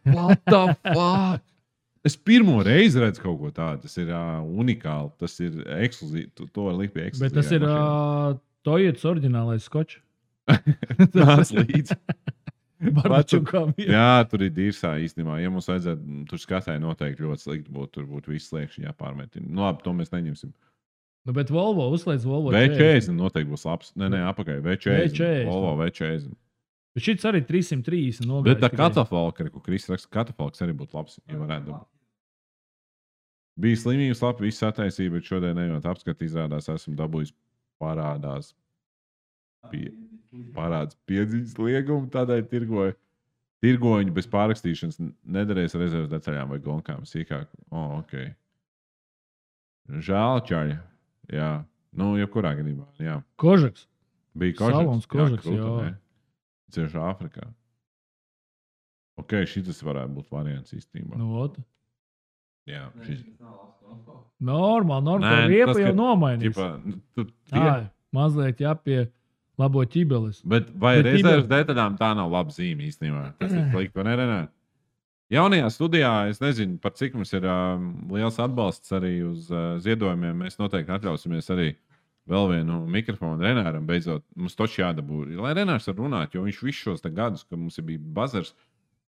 What the fuck? Es pirmo reizi redzu kaut ko tādu. Tas ir uh, unikāli. Tas ir ekskluzīvi. To, to var likt pie ekskluzīvā. Bet tas ir uh, Toyotas oriģinālais skočs. Tas līdz. Barbačukām, jā. jā, tur ir dīrsā īstenībā. Ja mums vajadzētu, tur skatai noteikti ļoti slikti būtu. Tur būtu viss sliekšņi jāpārmetina. Nu labi, to mēs neņemsim. Nu, bet Volvo uzslēdz Volvo V četrdesmit noteikti būs labs. Nē, nē, apakaļ. V četrdesmit. Volvo V četrdesmit. Bet šis arī trīsimt trīsdesmit nogājis. Bet tā katafalka, ko Kris raksta, katafalks arī būtu labs, ja varētu dabūt. Bija slimības labi, viss attaisīja, bet šodien ejot apskat, izrādās, esmu dabūjis parādās. Pie, parāds piedziņas liegumu, tādēļ tirgoju. Tirgoņi bez pārrakstīšanas nedarēs rezerves detaļām vai gonkām sīkāk. O, oh, ok. Žēl, čaļa. Jā. Nu, jebkurā gadījumā, jā. Kožaks. Bija kožaks. Salons kožaks, jā. jā. Cieši Āfrikā. Ok, šitas varētu būt variants īstenībā. Nu, ot. Jā, šis. Normāli, normāli. Riepa jau nomainīs. Ķipa, tu, Ā, mazliet jāpie labo ķibeles. Bet vai Bet rezerves detaļām tā nav laba zīme īstenībā? Tas ir slikti, vai ne, Renā? Jaunajā studijā, es nezinu, par cik mums ir um, liels atbalsts arī uz uh, ziedojumiem. Mēs noteikti atļausimies arī vēl vienu mikrofonu Renāram beidzot. Mums toči jādabū. Lai Renārs var runāt, jo viņš visus šos gadus, kad mums bija bazars,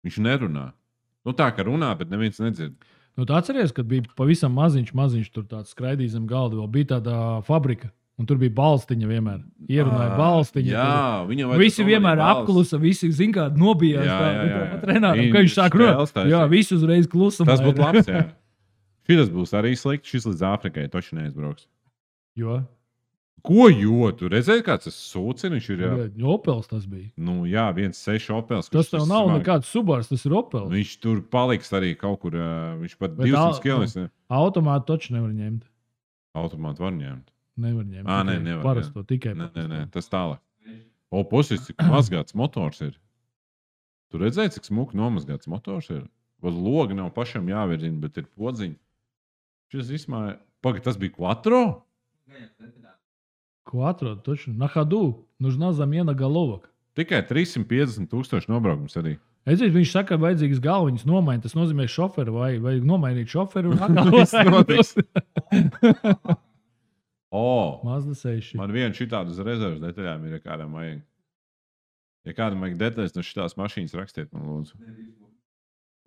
viņš nerunā. Nu tā, ka runā, bet neviens nedzird. Nu, tu atceries, kad bija pavisam maziņš, maziņš tur tāds skraidījis zem galda, vēl bija tāda fabrika, un tur bija balstiņa vienmēr. Ierunāja balstiņa. Jā, viņa vajag. Visi vienmēr apklusa, visi, zin kā, nobijās. Jā, jā, jā. Tā, Renāram, ka viņš sāk runāt. Jā, visi uzreiz klusumā. Tas būtu labs, jā. Šitas būs arī slikti, šis līdz Āfrikai toši neizbrauks. Jo? Ko jo? Tu redzēji, kāds tas sūcini? Viņš ir, jā. Opels tas bija. Nu, jā, viens seši Opels. Tas tev nav nekāds Subars, tas ir Opels. Viņš tur paliks arī kaut kur, viņš pat divsimt kilometrus. Automātu taču nevar ņemt. Automātu var ņemt. Nevar ņemt. Ā, nē, nevar. Parasto, tikai nē, nē, nē, tas tālāk. O, pusis, cik mazgāts motors ir. Tu redzēji, cik smuki nomazgāts motors ir? Vēl logi nav pašam jāvirzina, bet ir podziņi. Šis izmāja. Pagad, tas bija Quattro? Quattro, точно. На ходу. Нужна замена головок. Tikai trīssimt piecdesmit tūkstoši nobraukums arī. Es zinu, viņš saka, ka vajadzīgas galviņas nomainīt. Tas nozīmē šoferu vai vajag nomainīt šoferu un atkal notiks. O, Mazda seši. Man viena šitāda uz rezerves detaļām ir, ja kādam vajag. Ja kādam vajag detaļas no šitās mašīnas, rakstiet man lūdzu.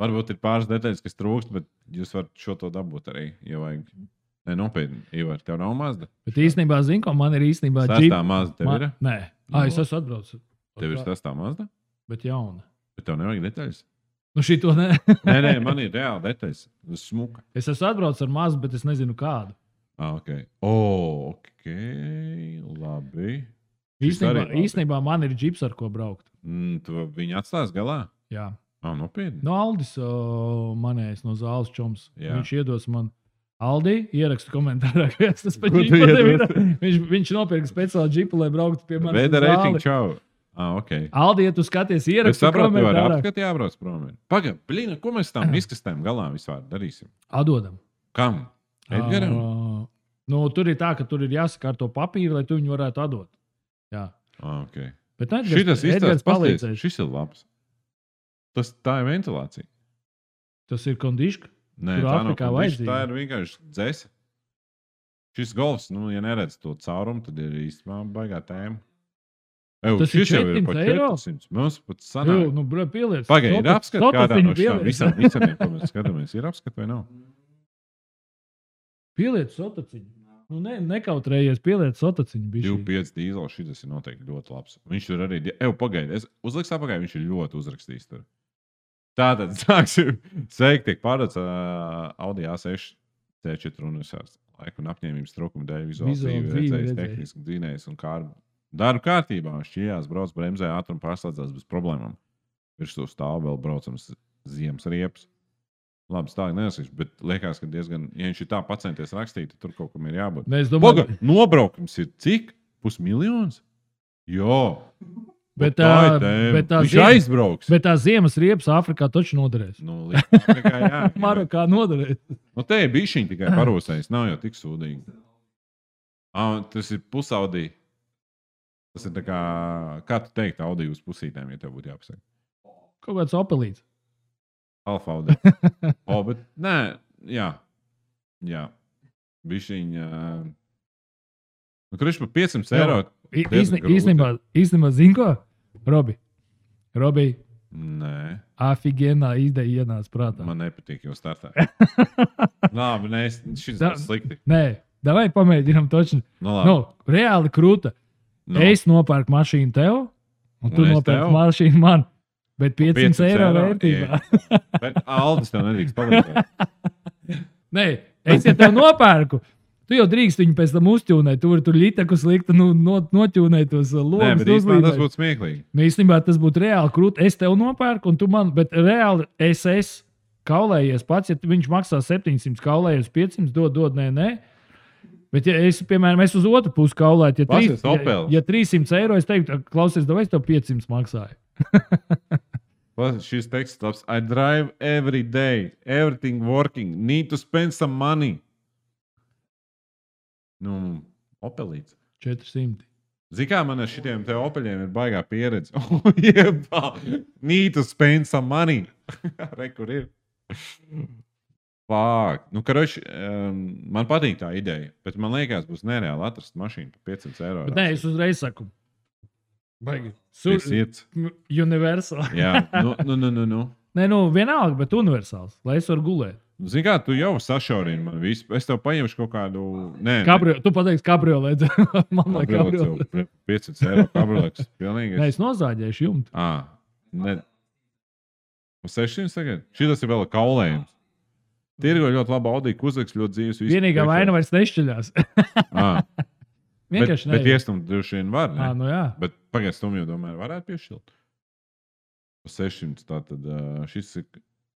Varbūt ir pāris detaļas, kas trūkst, bet jūs varat šo to dabūt arī, ja vajag. Nē, nopietni, Ivar, tev nav Mazda? Bet īstenībā, zinu, ko man ir īstenībā Sestā Jeep... Mazda tev ir? Nē. Ā, es esmu atbraucis. Tev ir sestā Mazda? Bet jauna. Bet tev nevajag detaļas? Nu šito ne. nē, nē, man ir reāli detaļas. Tas smuka. Es esmu atbraucis ar Mazdu, bet es nezinu kādu. Ah, ok. O, ok. Labi. Īstenībā, īstenībā man ir džips, ar ko braukt. Mm, tu viņu atstās galā? Jā. Ah, nopietni. No Aldis uh, manējais no zāles čoms. Jā. Viņš iedos man Aldi, ierakstu komentārā, kas tas par Ko tu džipu tev ir. iedod? Viņš, viņš nopirka speciālu džipu, lai brauktu pie manis. Veida uz reitingu, zāli. čau. Ah, ok. Aldi, ja tu skaties, Es ierakstu saprotu, tu vari komentārā. apskatīt, jābrauc prom. Pagaid, blīna, ko mēs tam izkastēm galā vispār darīsim? Atdodam. Kam? Edgaram? Uh, nu, tur ir tā, ka tur ir jāsakārto papīri, lai tu viņu varētu atdot. Jā. Ah, ok. Bet Edgars, Šitas Edgars izstāsts pasties. palīdzēs. Šis ir labs. Tas tā ir ventilācija. Tas ir kondiška. Nē, Tur tā nav Āfrikā kondiška, vajadzīga. tā ir vienkārši dzēse. Šis golfs, nu, ja neredz to caurumu, tad ir īstenībā baigā tēma. Ew, Tas ir šis jau ir pa četri simti eiro? četri simti. Mums pat Jā, sanāk. nu, bro, pieliec. Pagaid, ir Sotu- apskat kādā sotuciņu no šām pieliec. visām visam, ko mēs skatāmies. Ir apskat vai nav? Pieliec sotaciņu. Nu, ne, nekautrējies, pieliec sotaciņu. divi bišķīt. pieci dīzels, šis ir noteikti ļoti labs. Viņš tur arī, eju, pagaidi, es uzliks apakaļ, viņš ir ļoti uzrakstījis tur. Tātad, sāksim, sveiki, tiek pārdots uh, Audi A seši C četri universāls. Laika un apņēmības trūkuma dēļ vizuāli Vizuāli dzīvi dzīvi redzējis, redzējis. tehniski dzinējis un kārbu. Darbu kārtībā, šķījās, brauc bremzē, ātrumu pārslēdzās bez problēmām. Virsū stāv vēl braucams ziemas riepas. Labi, tā neesīšu, bet liekas, ka diezgan, ja viņš ir tā pacenties rakstīt, tad tur kaut kam ir jābūt. Nē, es Paga, domāju, nobraukums ir cik? Pusmiljons? Jā. Bet tā tā- ir tēma. bet tā Viņš ziem- aizbrauks. bet tā ziemas riepas Āfrikā taču noderēs. Nu, līdz Āfrikā, jā. Marokā noderēs. Nu, te ir bišķiņ tikai parūsējis, nav jau tik sūdīgi. Ah, tas ir pusaudī. Tas ir tā kā, kā tu teikt, Audi uz pusītēm, ja tev būtu jāpasaka. Kaut kāds opelīts. Alfa Audi. O, bet nē, jā. Jā. Bišķiņ. Uh... Nu, kurš par piecsimt eiro? I- diezgan īsni- grūti. Īstenībā, īstenībā zini ko? Robi. Robi, Nē, afigienā ideja ienāca prātā. man nepatīk jau startā. Labi, nē, es- šis Tā- ir slikti. Nē, davai pamēģinām točni. Nu, labi. Nu, reāli krūta. Nu, Es nopērku mašīnu tev, un tu Un es nopērki tev? mašīnu man. Bet piecsimt eiro vērtībā. Bet Aldis tev nedrīkst palīdzēt. Nē, es ja tev nopērku. Tu jau drīkst viņu pēc tam uzķūnēt. Tu vari tur lītaku slikti nu, no, noķūnēt tos Nē, logus. bet īstenībā tas būtu smieklīgi. Nu, īstenībā tas būtu reāli krūti. Es tev nopērku, un tu man, bet reāli es esmu kaulējies pats. Ja viņš maksā septiņsimt, kaulējies piecsimt, dod, dod, nē, nē. Bet, ja es, piemēram, es uz otru pusi kaulētu, ja, trīs, Pasies ja, Opels. ja trīssimt eiro, es teiktu, klausies, vai es tev piecsimt maksāju. Pas- Šis teksts labs. I drive every day. Everything working. Need to spend some money. Nu, opelīts. četrsimt. Zini, kā man ar šitiem te opeļiem ir baigā pieredze. O, jebā. Need to spend some money. Re, kur ir? Fāk. Nu, karoči, um, man patīk tā ideja, bet man liekas, būs nereāli atrast mašīnu par piecsimt eiro. Bet nē, es uzreiz saku. Baigi. Tas ir. Universāls. Jā, nu, nu, nu, nu. nu. Nē, nu, vienalga, bet universāls, lai es varu gulēt. Zini, kā tu jau sašaurini man visu. Es tev paņemšu kaut kādu. Nē, Kabrio, tu pateiksi, kabriolēt. Man liekas, kabriolēt. kabriolets. piecsimt eiro kabriolets. Pilnīgi. Nē, es nozāģēšu jumtu. Ā, ne. Uz sešsimt tagad? Šis ir vēl kaulējums. Tirgo ļoti labi Audi, kuzaks ļoti dzīves. visu Vienīgā priekšā. vaina vairs nešķiļās. Ā, bet, Vienkārši bet nē. iestumt droši vien var, ne? Ā, nu jā. Bet pagaid stumju domāju, varētu piešķilt. Uz sešsimt tātad uh, šis ir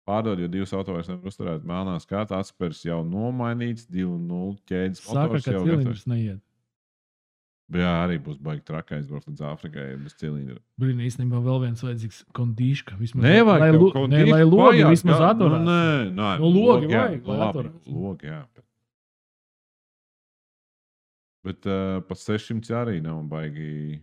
pārdod, jo divas auto vairs nevar uzturēt melnās kārtā, atspērs jau nomainīts, divi nulle ķēdes Saka, motors ka jau gatavs. cilindrs neiet. Bet jā, arī būs baigi trakā aizbraukt līdz Āfrikai bez cilindra. Blin, īstenībā vēl viens vajadzīgs kondīška. Vismaz, Nevajag lai, tev lu, kaut ne, dišķi lai logi pajāt, vismaz jā. atturās. Nu, nē, nē, Nu, logi jā, vajag, lai labi, atturās. logi, jā. Bet, bet uh, pa sešsimt arī nav baigi.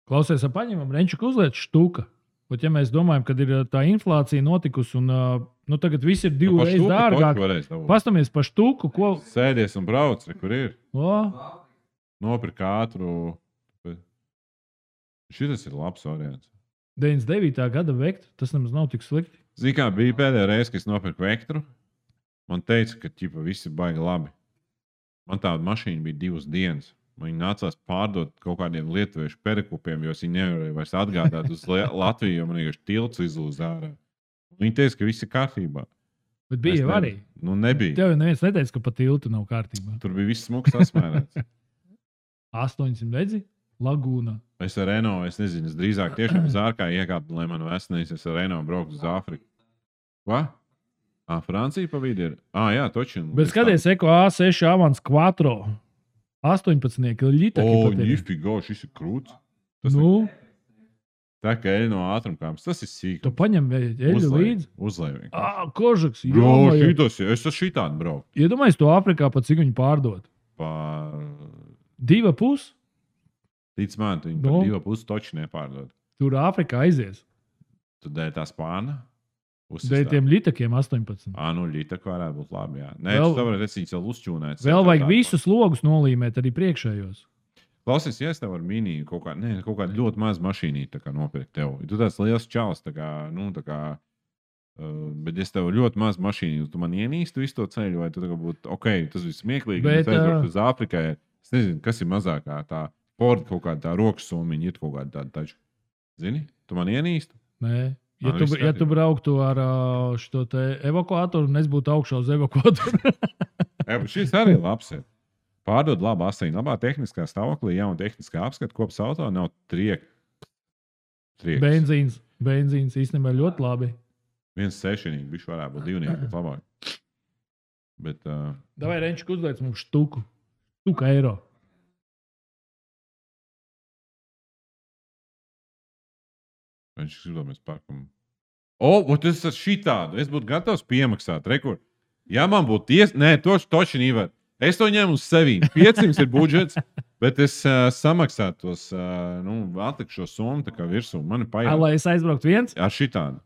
Klausies, ap paņemam Renčuku uzliet štuka. Bet, ja mēs domājam, ka ir tā inflācija notikusi un uh, nu, tagad viss ir divu reizi dārgāk, pastamies pa štuku, ko. Sēdies un brauc, re, kur ir. O, Nopirkt ātru. Šis ir labs variants. deviņdesmit devītā gada vektu, tas nemaz nav tik slikti. Zini, kā bija pēdējā reize, kad es nopirku Vektru. Man teica, ka ķipa, viss ir baigi labi. Man tāda mašīna bija divas dienas. Man viņa nācās pārdot kaut kādiem lietuviešu perikupiem, jo viņi nevarēja vairs atgādāt uz Le- Latviju, jo man vienkārši tilts izlūz ārā. Viņi teica, ka viss ir kārtībā. Bet bija Es jau ne- arī. Nu, nebija. Tev jau neviens neteica, ka pa tiltu nav kārtībā. Tur bija viss smuks asmērēts. astoņsimt redzi? Lagūna. Es ar Renault, es nezinu, es drīzāk tiešām uz ārkā iekāpu, lai man vēsnīs, es ar Renault brauktu uz Āfriku. Ko? Ah, Francija pa vidi ir. Ah, jā, točin. Bet skaties, Eko A seši Avans Quattro. astoņpadsmit ļitaki. O, pat ir. nifigo, šis ir krūts. Tas Nu, tā kā eļ no ātrumkāpes, tas ir sīk. tu paņem eļu līdzi. Uzlēj vienkārši. Ā, kožaks. Bro, Jomai. šitos, es esmu šitādi braukt. Iedomājies to Afrikā, pat cik viņi pārdod. Pa... Diva pus, Tic man, tu viņi Nu. par divu pusi toči nepārdod. tur Afrikā aizies. Tu dēļ tā spāna? Dēļ tiem ļitakiem astoņpadsmit. Ā, nu, ļita, kā varētu būt labi, jā. Nē, Vēl- tu tā varētu esi vēl uzčūnēt. Vēl vajag visus logus nolīmēt arī priekšējos. Klausies, ja es tev varu mini kaut kā, ne, kaut kā ļoti maz mašīnī tā kā nopirkt tev. Tu tāds liels čals, tā kā, nu, tā kā, uh, bet es tev ļoti maz mašīnī, tu man ienīstu visu to ceļu, vai tu tā kā būtu, ok, tas viss smieklīgi, Bet, bet aizbraukt ā, uz Āfrikai, es nezinu, kas ir mazākā tā, Ford kaut kāda tā rokas somiņa, ir kaut kāda tāda taču. Zini, tu man ienīstu? Nē. Ja Man tu, viss ja tu kārtībā. brauktu ar ā, šo te evakuātoru, un es būtu augšā uz evakuātoru. Jā, bet šis arī ir labs. Ir. Pārdod labu asēņu, labā tehniskā stāvoklī, jauna tehniskā apskata, kops auto nav triek. trieks. benzīns, benzīns īstenībā ļoti labi. Viens sešinieks, bišķi varētu būt divnieki, bet labāk. Bet, uh, Davai, Renčik, uzliec mums štuku. Štuka eiro. viņš grib, mēs pārkam. O, o, tas ir šitādu. Es būtu gatavs piemaksāt. Rekur. Ja man būtu tiesa, nē, to toči nevar. Es to ņemu uz sevi. piecsimt ir budžets, bet es uh, samaksātu tos, uh, nu, atlikšu šo summu tā kā virsū. Man ir Ā, pajāt Lai es aizbrauktu viens? ar šitādu.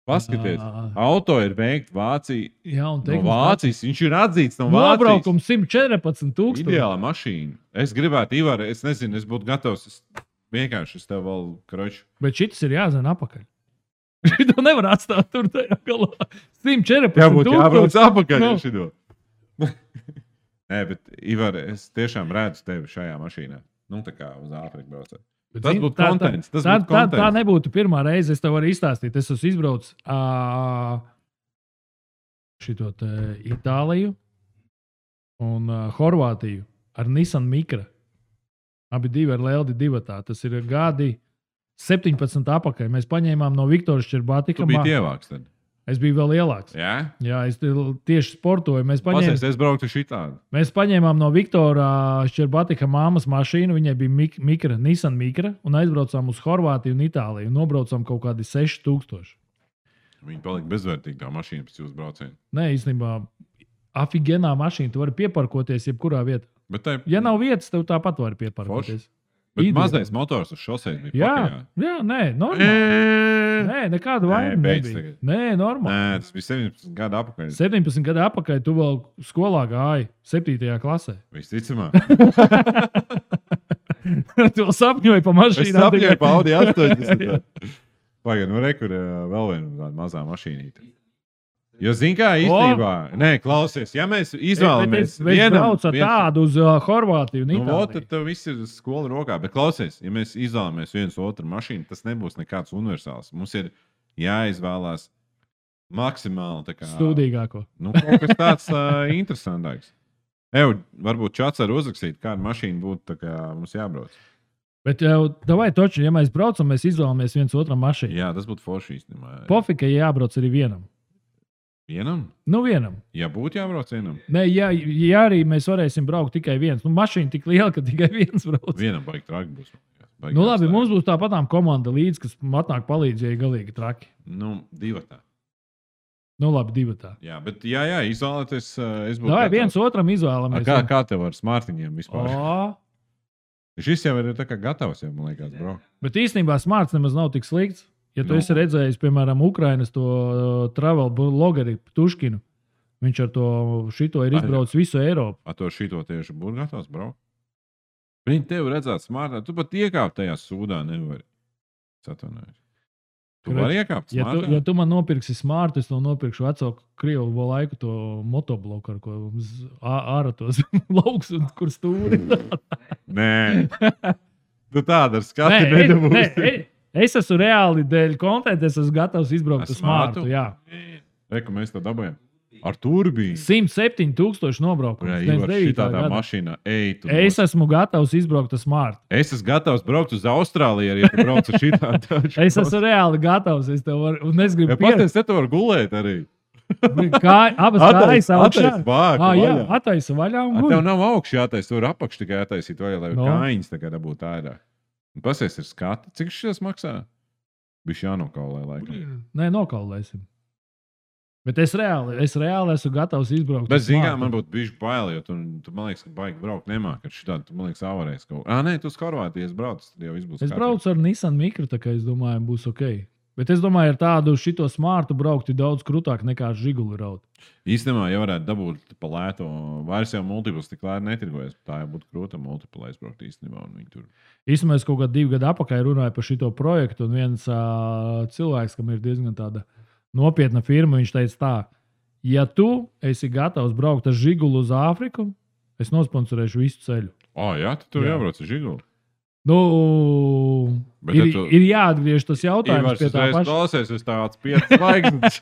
Paskaties, Ā. auto ir veikts Vācijā. Jā, un No tehniski- Vācijas. Viņš ir atzīts no Vācijas. Nobraukums simt četrpadsmit tūkstoši. Ideāla mašīna. Es gribētu, Ivar, es nezinu, es būtu gatavs. Es vienkārši es tev vēl kroču. Bet šis ir jāzina apakaļ. Šito nevar atstāt tur tajā galā. simt četrpadsmit Jābūt jābrauc tūkstoši. apakaļ Nu. ar šito. Nē, bet, Ivar, es tiešām redzu tevi šajā mašīnā. Nu, tā kā uz Āfriku braucot. Bet, Tas zini, būtu tā- kontents, tas tā, būtu tā, tā kontents. nebūtu pirmā reize. Es tev varu izstāstīt. Es esmu izbraucis uh, šito te Itāliju un uh, Horvātiju ar Nissan Micra. Abi divi ar Leldi divatā. Tas ir gadi septiņpadsmit apakaļ. Mēs paņēmām no Viktora Šķerbatika. Tu biji ievāks tad. Es biju vēl lielāks. Jā? Jā, es te- tieši sportoju. Mēs paņēmām, Pasies, es brauktu šitādu. mēs paņēmām no Viktora Šķerbatika māmas mašīnu. Viņai bija mik Micra, Nissan Micra. Un aizbraucām uz Horvātiju un Itāliju. Un nobraucām kaut kādi seši tūkstoši. Viņi palika bezvērtīgi tā mašīna pēc jūsu brauciena. Nē, īstenībā, afigenā mašīna. Tu vari pieparkoties jebkurā vietā. Bet, tai, Ja nav vietas, tev tāpat var pieparkoties. bet ideāli. mazais motors uz šoseis bija. Jā, pakajā. jā, nē, normāli. Nē, Nē, nekāda vaina beidz nebija. tagad. Nē, normāli. Nē, tas bija septiņpadsmit gadu apakaļ. septiņpadsmit gadu atpakaļ tu vēl skolā gāji, septītajā klasē. Visticamāk. Tu vēl sapņoji par Es mašīnu. sapņoju pa Audi astoņdesmit. Pagaid, nu rekur vēl viena tāda mazā mašīnīte. Jo, zini, kā īstenībā, nē, klausies, ja mēs izvēlamies Es braucu ar tādu uz uh, Horvātiju un Nu, vot, Itāliju. tad tev viss ir skola rokā. Bet, klausies, ja mēs izvēlamies viens otru mašīnu, tas nebūs nekāds universāls. Mums ir jāizvēlās maksimāli tā kā, Stūdīgāko. nu, kaut kas tāds uh, interesantāks. Eju, varbūt čats var uzrakstīt, kāda mašīna būtu tā kā mums jābrauc. Bet, uh, vai toči, ja mēs braucam, mēs izvēlamies viens otram mašīnu. Jā, tas būtu forši īstenībā. Pofika jābrauc arī vienam. Vienam? Nu, vienam. Ja būtu jābrauc vienam, Nē, ja, ja arī mēs varēsim braukt tikai viens. Nu, mašīna tik liela, ka tikai viens brauc. vienam baigi traki būs. Baigi Nu, labi, jāstāj. mums būs tāpatām komanda līdzi, kas atnāk palīdzēja galīgi traki. Nu, divatā. Nu, labi, divi tā. Jā, bet, jā, jā, izvēlēties, uh, es būtu. Vai gatavs. viens otram A, izvēlamies? Kā, kā tev ar smartiņiem vispār? O, Šis jau ir tā kā gatavs, jau, man liekas, bro. bet īstenībā smarts nemaz nav tik slikts. Ja tu Nu. esi redzējis, piemēram, Ukrainas to uh, travel blogeri Tuškinu, viņš ar to šito ir Ai, izbraucis visu Eiropu. Ar to šito tieši būtu gatavs, bro. Viņi tev redzētu smartā. Tu pat iekāpt tajā sūdā nevari. Satvanājos. Tu Redz, vari iekāpt Ja tu, smartā? ja tu man nopirksi smartu, es tev nopirkšu veco krievu laiku to motobloku, ar ko z- ā- ārā tos lauks un kur stūri. Nē. Tu tādu ar skatu Nē, es, nē, nedabūsi. es- es esmu reāli dēļ kontenta, es esmu gatavs izbraukt Ar uz smartu. smartu? Jā. Reku mēs to dabūjām. Ar turbīnu. simt septiņi tūkstoši nobraukums. Jā, Viens Ivar, devītā šitā tā gada. mašīnā. Ej, tu Es nos- esmu gatavs izbraukt uz smartu. es esmu gatavs braukt uz Austrāliju, ja tu brauc ar šitā. Es esmu reāli gatavs. Es tev varu, un es gribu Ja pierādīt. pateic, te tu vari gulēt arī. Kā, abas kājas augšā. Bāku, Ah, jā, vaļā. attaisa vaļā un A, guļ. tev nav augšā jātaisa, tur apakš tikai attaisīt vaļā, lai No. kājiņas tā kā dabūtu ārā. Un pasies ir skati. Cik šis maksā? Bišķi jānokaulē laikam. Nē, nokaulēsim. Bet es reāli, es reāli esmu gatavs izbraukt. Bet, uz zinām, Mārtu. man būtu bijuši bail, jo tu, tu man liekas, ka baigi braukt nemāk. Ar šitādu, tu man liekas, avarēs kaut kā. Ā, nē, tu uz Horvātijas brauc, tad jau viss būs Es braucu ar Nissan Micro, tā kā es domāju, būs ok. Bet es domāju, ar tādu šito smārtu braukt ir daudz krūtāk nekā ar žiguli raut. Īstenībā, ja varētu dabūt pa lēto, vairs jau multiples tik lēti netirgojas. Tā jau būtu krūta multipla aizbraukt īstenībā. Un viņi tur. Īstenībā es kaut kā divu gadu atpakaļ runāju par šito projektu, un viens uh, cilvēks, kam ir diezgan tāda nopietna firma, viņš teica tā, ja tu esi gatavs braukt ar žiguli uz Āfriku, es nosponsorēšu visu ceļu. O, jā, tu tur Jā. jābrauc ar žiguli. Nu, Bet ir, ja tu- ir jāatgriež tas jautājums Ivars pie tā uzreiz paša. klausies, es tāds piecas zvaigznes.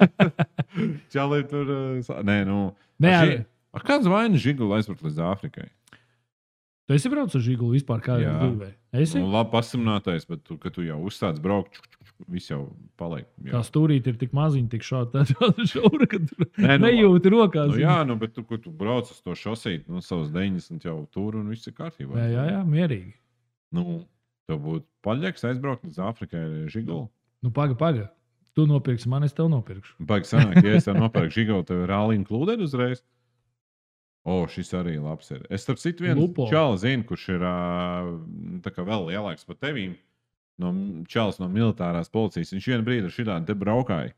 Čalī tur. uh, sa- Nē, nu. Nē, ar ar- ži- Ar kāds vainas žiguli aizbraukt līdz Āfrikai? Tu esi braucis ar žiguli vispār kādā Jā. dzīvē? Esi? Nu, labi pasimnātais, bet tu, kad tu jau uzsāc braukt, čuk, čuk, čuk, viss jau paliek. Tā Jā. stūrīte ir tik maziņa, tik šāda šaura, ka tu Nē, nu, nejūti rokās. Nu, jā, nu, bet tu, kad tu brauc uz to šosīti, nu, savus deviņdesmit jau tur un viss ir kārtībā. jā, jā, jā, mierīgi. Nu, tev būtu paļģeks aizbraukt līdz Āfrikai ar žiguli. Nu, paga, paga. Tu nopirksi man, es tev nopirkšu. Baigi sanāk, ja es tev nopērku žiguli, tev ir rālīna klūdeni uzreiz. O, šis arī labs ir. Es starp citu vienu Lupo. čalu zinu, kurš ir ā, tā kā vēl lielāks par tevīm. No čalis no militārās policijas. Viņš vienu brīdi ar šitādu te braukāja.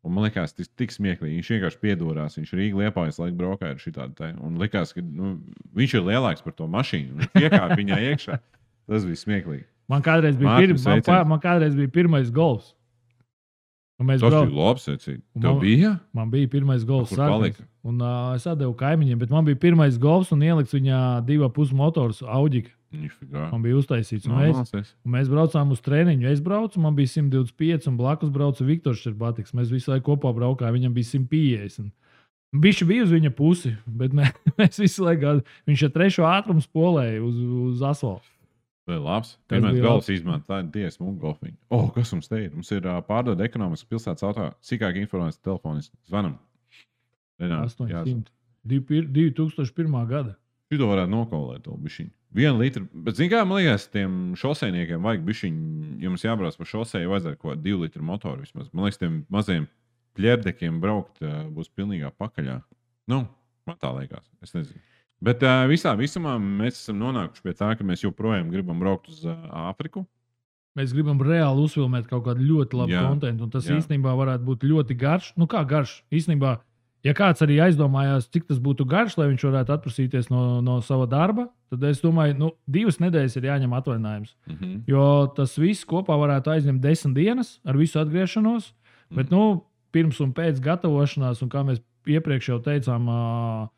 Un man liekas, tas tik smieklīgi. Viņš vienkārši piedorās. Viņš Rīga Liepājas laiku braukāja ar šitādu te. Un likās, ka nu, viņš ir lielāks par to mašīnu. Viņš iekāpa viņā iekšā. Tas bija smieklīgi. Man kādreiz bija, Mārtiņ, pir... man, sveiciens. pa... man kādreiz bija pirmais golfs. Un mēs Tas brauc... bija labi secīgi. Un Tev man- bija? Man bija pirmais golfs. Kur sākums. palika? Un uh, es atdevu kaimiņiem, bet man bija pirmais golfs un ielikts viņā divu pusi motors, Audika. Nišķigā. Man bija uztaisīts. Un mēs, Normāls. un mēs braucām uz treniņu. Es braucu, man bija simt divdesmit pieci, un blakus brauca Viktors Čerbatiks. Mēs visu laiku kopā braukājām, viņam bija simt piecdesmit. Viņš bija uz viņa pusi, bet mē, mēs visu laiku viņš ar trešo ātrumu spolēja uz, uz asfalta. Vēl labs. Tas Pirmais bija galvas izmanto tādu diezgan smuku golfiņu. O, oh, kas mums te ir? Mums ir uh, pārdod ekonomiskas pilsētas auto. Sīkāk informācijas telefonis. Zvanam. Renā, jāzvan. astoņsimt. divi tūkstoši pirmā gada. Šito varētu nokaulēt vēl bišķiņu. Vienu litru. Bet, zin kā, man liekas, tiem šoseiniekiem vajag bišķiņu. Jums jābrauc pa šoseju, vajadzētu kaut divu litru motoru vismaz. Man liekas, tiem maziem pļērdekiem braukt uh, būs pilnīgā pakaļā. Nu, man tā liekas. Es nezinu. Bet uh, visā visumā mēs esam nonākuši pie tā, ka mēs joprojām gribam braukt uz uh, Āfriku. Mēs gribam reāli uzfilmēt kaut kādu ļoti labu Jā, kontentu. Un tas jā. īstenībā varētu būt ļoti garš. Nu, kā garš? Īstenībā, ja kāds arī aizdomājās, cik tas būtu garš, lai viņš varētu atprasīties no, no sava darba, tad es domāju, ka nu, divas nedēļas ir jāņem atvaļinājums. Mm -hmm. Jo tas viss kopā varētu aizņemt desmit dienas ar visu atgriešanos. Mhm. Bet nu, pirms un pēc gatavošanās, un kā mēs iepriekš jau teicām, ā,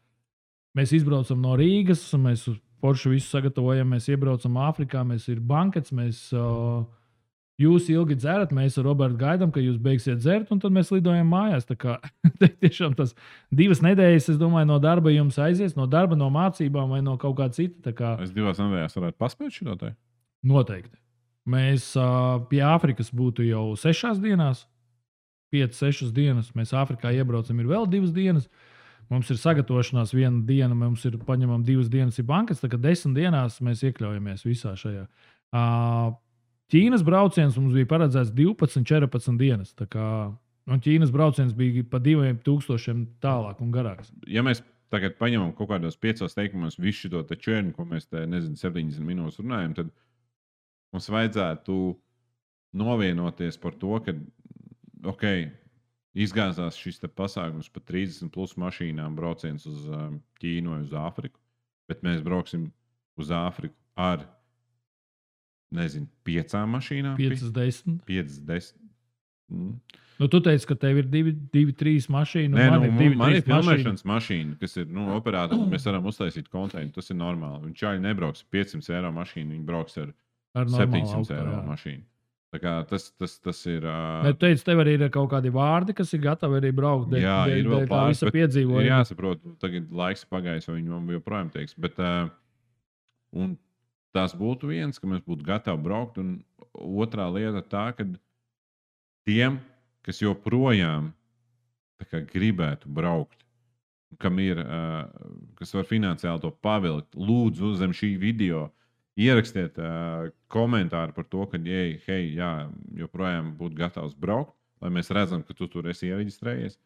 mēs izbraucam no Rīgas, mēs uz Poršu visu sagatavojam, mēs iebraucam Āfrikā, mēs ir bankets, mēs, ā, jūs ilgi dzerat, mēs ar Robertu gaidām, ka jūs beigsiet dzert, un tad mēs lidojam mājās. Tā kā tiešām tas divas nedēļas, es domāju, no darba jums aizies, no darba, no mācībām vai no kaut kā cita. Tā kā Es divās nedēļās varētu paspēt šo te. noteikti. Mēs ā, pie Āfrikas būtu jau sešās dienās, piecas, sešas dienas. Mēs Āfrikā iebraucam, ir vēl divas dienas. Mums ir sagatavošanās viena diena, mums ir paņemama divas dienas, ir bankas. Tā kā desmit dienās mēs iekļaujamies visā šajā. Ā, Ķīnas brauciens mums bija paredzēts divpadsmit, četrpadsmit dienas. Tā kā, un Ķīnas brauciens bija pa diviem tūkstošiem tālāk un garāks. Ja mēs tagad paņemam kaut kādos piecos teikumos visu šo te čērnu, ko mēs te, nezinu, septiņdesmit minūtes runājam, tad mums vajadzētu novienoties par to, ka, ok, izgāzās šis te pasākums pa trīsdesmit plus mašīnām brauciens uz um, Ķīnu vai uz Āfriku, bet mēs brauksim uz Āfriku ar, nezinu, piecām mašīnām. piecas, desmit. piecas, desmit. Mm. Nu, tu teici, ka tev ir divi, divi trīs mašīnas. Nē, man nu, ir divi, man ir trīs mašīnas. filmēšanas mašīna, kas ir nu, operātori. Mēs varam uztaisīt kontekstu. Tas ir normāli. Viņš arī nebrauks ar piecsimt eiro mašīnu, viņi brauks ar, Ar normālu septiņsimt auto, eiro jā. mašīnu. Tā kā tas, tas, tas ir. Uh, Bet tu teici, tev arī ir kaut kādi vārdi, kas ir gatavi arī braukt. Dēļ, Jā, dēļ, ir vēl dēļ tā pāris, visa bet ir piedzīvojuma. jāsaprot, tagad laiks pagājis, vai viņi man joprojām teiks. Bet, uh, un tas būtu viens, ka mēs būtu gatavi braukt. Un otrā lieta tā, ka tiem, kas joprojām tā kā gribētu braukt, kam ir, uh, kas var finansiāli to pavilkt, lūdzu zem šī video ierakstiet uh, komentāru par to, ka, jei, hei, jā, joprojām būtu gatavs braukt, lai mēs redzam, ka tu tur esi iereģistrējies.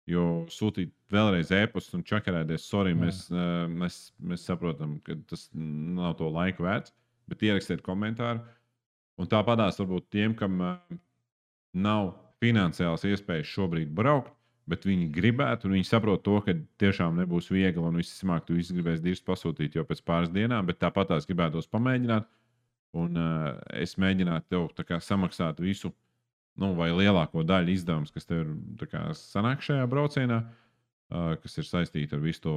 Jo sūtīt vēlreiz e-pastu un čakarēties, sorry, mēs, uh, mēs, mēs saprotam, ka tas nav to laiku vērts, bet ierakstiet komentāru. Un tāpatās varbūt tiem, kam uh, nav finansiāls iespējas šobrīd braukt, bet viņi gribētu, un viņi saprot to, ka tiešām nebūs viegli, un visticamāk, tu visi gribēs dirst pasūtīt jau pēc pāris dienām, bet tāpatās gribētos pamēģināt, un uh, es mēģinātu tev tā kā samaksāt visu, nu, vai lielāko daļu izdevums, kas tev ir kā, sanāk šajā braucienā, uh, kas ir saistīta ar visu to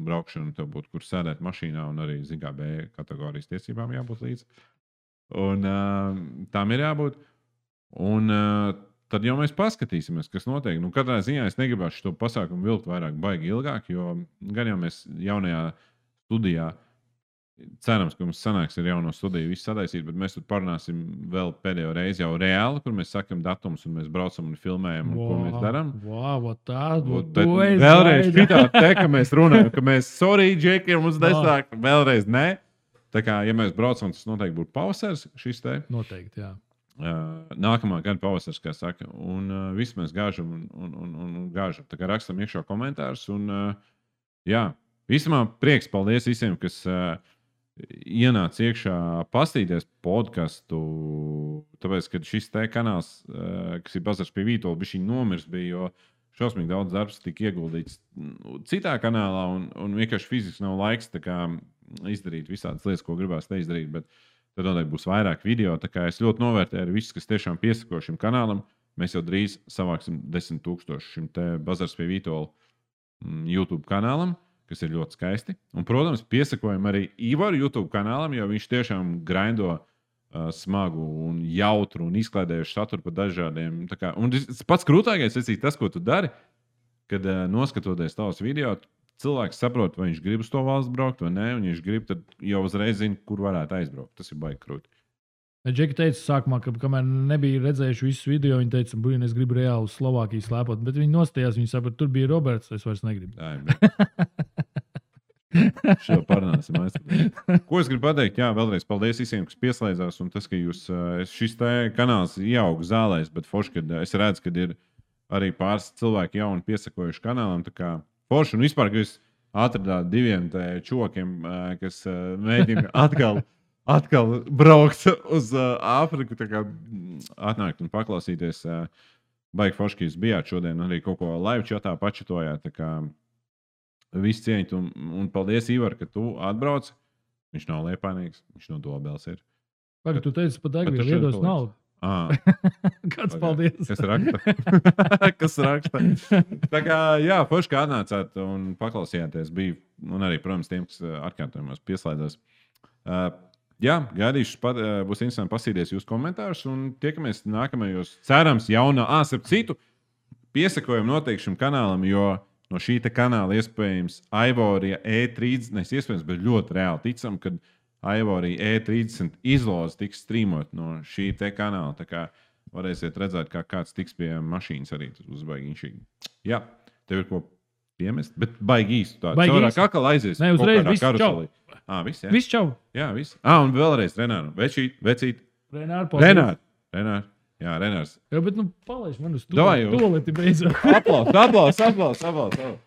braukšanu, tev būtu kur sēdēt mašīnā, un arī Z G B kategorijas tiesībām jābūt līdzi. Un uh, tām ir jābūt. Un uh, tad jau mēs paskatīsimies, kas notiek. Nu, katrā ziņā es negribētu šo pasākumu vilkt vairāk baigi ilgāk, jo gan jau mēs jaunajā studijā cerams, ka mums sanāks ar jauno studiju visu sadaisīt, bet mēs tur parunāsim vēl pēdējo reizi jau reāli, kur mēs sakam datumus un mēs braucam un filmējam un wow, ko mēs darām. Wow, tā būtu. Vēlreiz šitā te, ka mēs runājam, ka mēs sorry, Džeki, mums nesāk, wow. Vēlreiz ne. Tā kā, ja mēs braucam, tas noteikti būtu pavasars šis te. Noteikti, jā. Uh, nākamā gada pavasars, kā saka. Un uh, viss mēs gāžam un, un, un, un gāžam. Tā kā rakstam iekšā komentārus. Un, uh, jā, vismā prieks, paldies visiem, kas uh, ienāca iekšā pastīties podcastu, tāpēc, ka šis te kanāls, uh, kas ir Bazars pie Vītola, bišķi nomirs bija, jo šausmīgi daudz darbs tika ieguldīts citā kanālā, un, un vienkārši fiziski nav laiks tā kā izdarīt visādas lietas, ko gribās te izdarīt, bet tad noteikti būs vairāk video, tā kā es ļoti novērtēju arī visus, kas tiešām piesako šim kanālam. Mēs jau drīz savāksim desmit tūkstoši šim te Bazars pie Vītola YouTube kanālam, kas ir ļoti skaisti. Un, protams, piesakojam arī Ivaru YouTube kanālam, jo viņš tiešām grindo uh, smagu un jautru un izklaidējušu saturu par dažādiem. Tā kā, un tas pats krūtākais ir tas, ko tu dari, kad uh, noskatoties tavus video, cilvēks saprot, vai viņš grib uz to valsts braukt vai nē, un ja viņš grib, tad jau uzreiz zina, kur varētu aizbraukt. Tas ir baigi krūti. Džeki teica sākumā, ka kamēr nebija redzējuši visus video, viņi teica, ka es gribu reāli uz Slovākiju slēpot, bet viņi nostājās, viņi saprot, tur bija Roberts, es vairs negribu. Šo parunāsim. Ko es gribu pateikt? Jā, vēlreiz paldies visiem, kas pieslēdzās, un tas, ka jūs, šis te kanāls ieaug zālēs, bet forši, kad es redzu, ka ir arī pāris cilvēki jauni piesakojuši kanālam, tā kā forši, un vispār, ka jūs atradāt diviem čokiem, kas mēģina atkal, atkal braukt uz Āfriku, tā kā atnākt un paklausīties. Baigi forši, ka jūs bijāt šodien, arī kaut ko live chatā pačatojāt, tā kā viss cieņt, un, un paldies, Ivar, ka tu atbrauc. Viņš nav Liepājnieks, viņš no Dobels ir. Pagad, tu teici, pa Degvielu iedos naudu. Ah, Kāds paldies. Kas raksta? Kas raksta? Tā kā, jā, forši, kā atnācāt un paklausījāties. Bija, un arī, protams, tiem, kas atkārtojumos pieslēdzās. Uh, jā, gaidīšu, pat, uh, būs interesanti pasīties jūsu komentārus, un tiekamies nākamajos, cerams, jaunā, ā, starp citu, piesakojam noteikti šim kanālam, jo no šī te kanāla iespējams Ivorija E trīsdesmit, nes iespējams, bet ļoti reāli ticam, kad Ivorija E trīsdesmit izloze tiks streamot no šī te kanāla. Tā kā varēsiet redzēt, kā kāds tiks pie mašīnas arī uzbaigi inšīgi. Jā, tev ir ko piemest, bet baigi īsti tādu. Caurā kakala aizies. Ne, uzreiz, viss čau. Ā, viss, jā. Viss čau. Jā, viss. Ā, un vēlreiz Renāru. Večīt, vecīt. Renāru, paldies. Renāru. Renāru. Jā, Renārs. Jā, bet nu palaiž man uz to. Toleti beidzot. Aplaus, aplaus, aplaus, aplaus.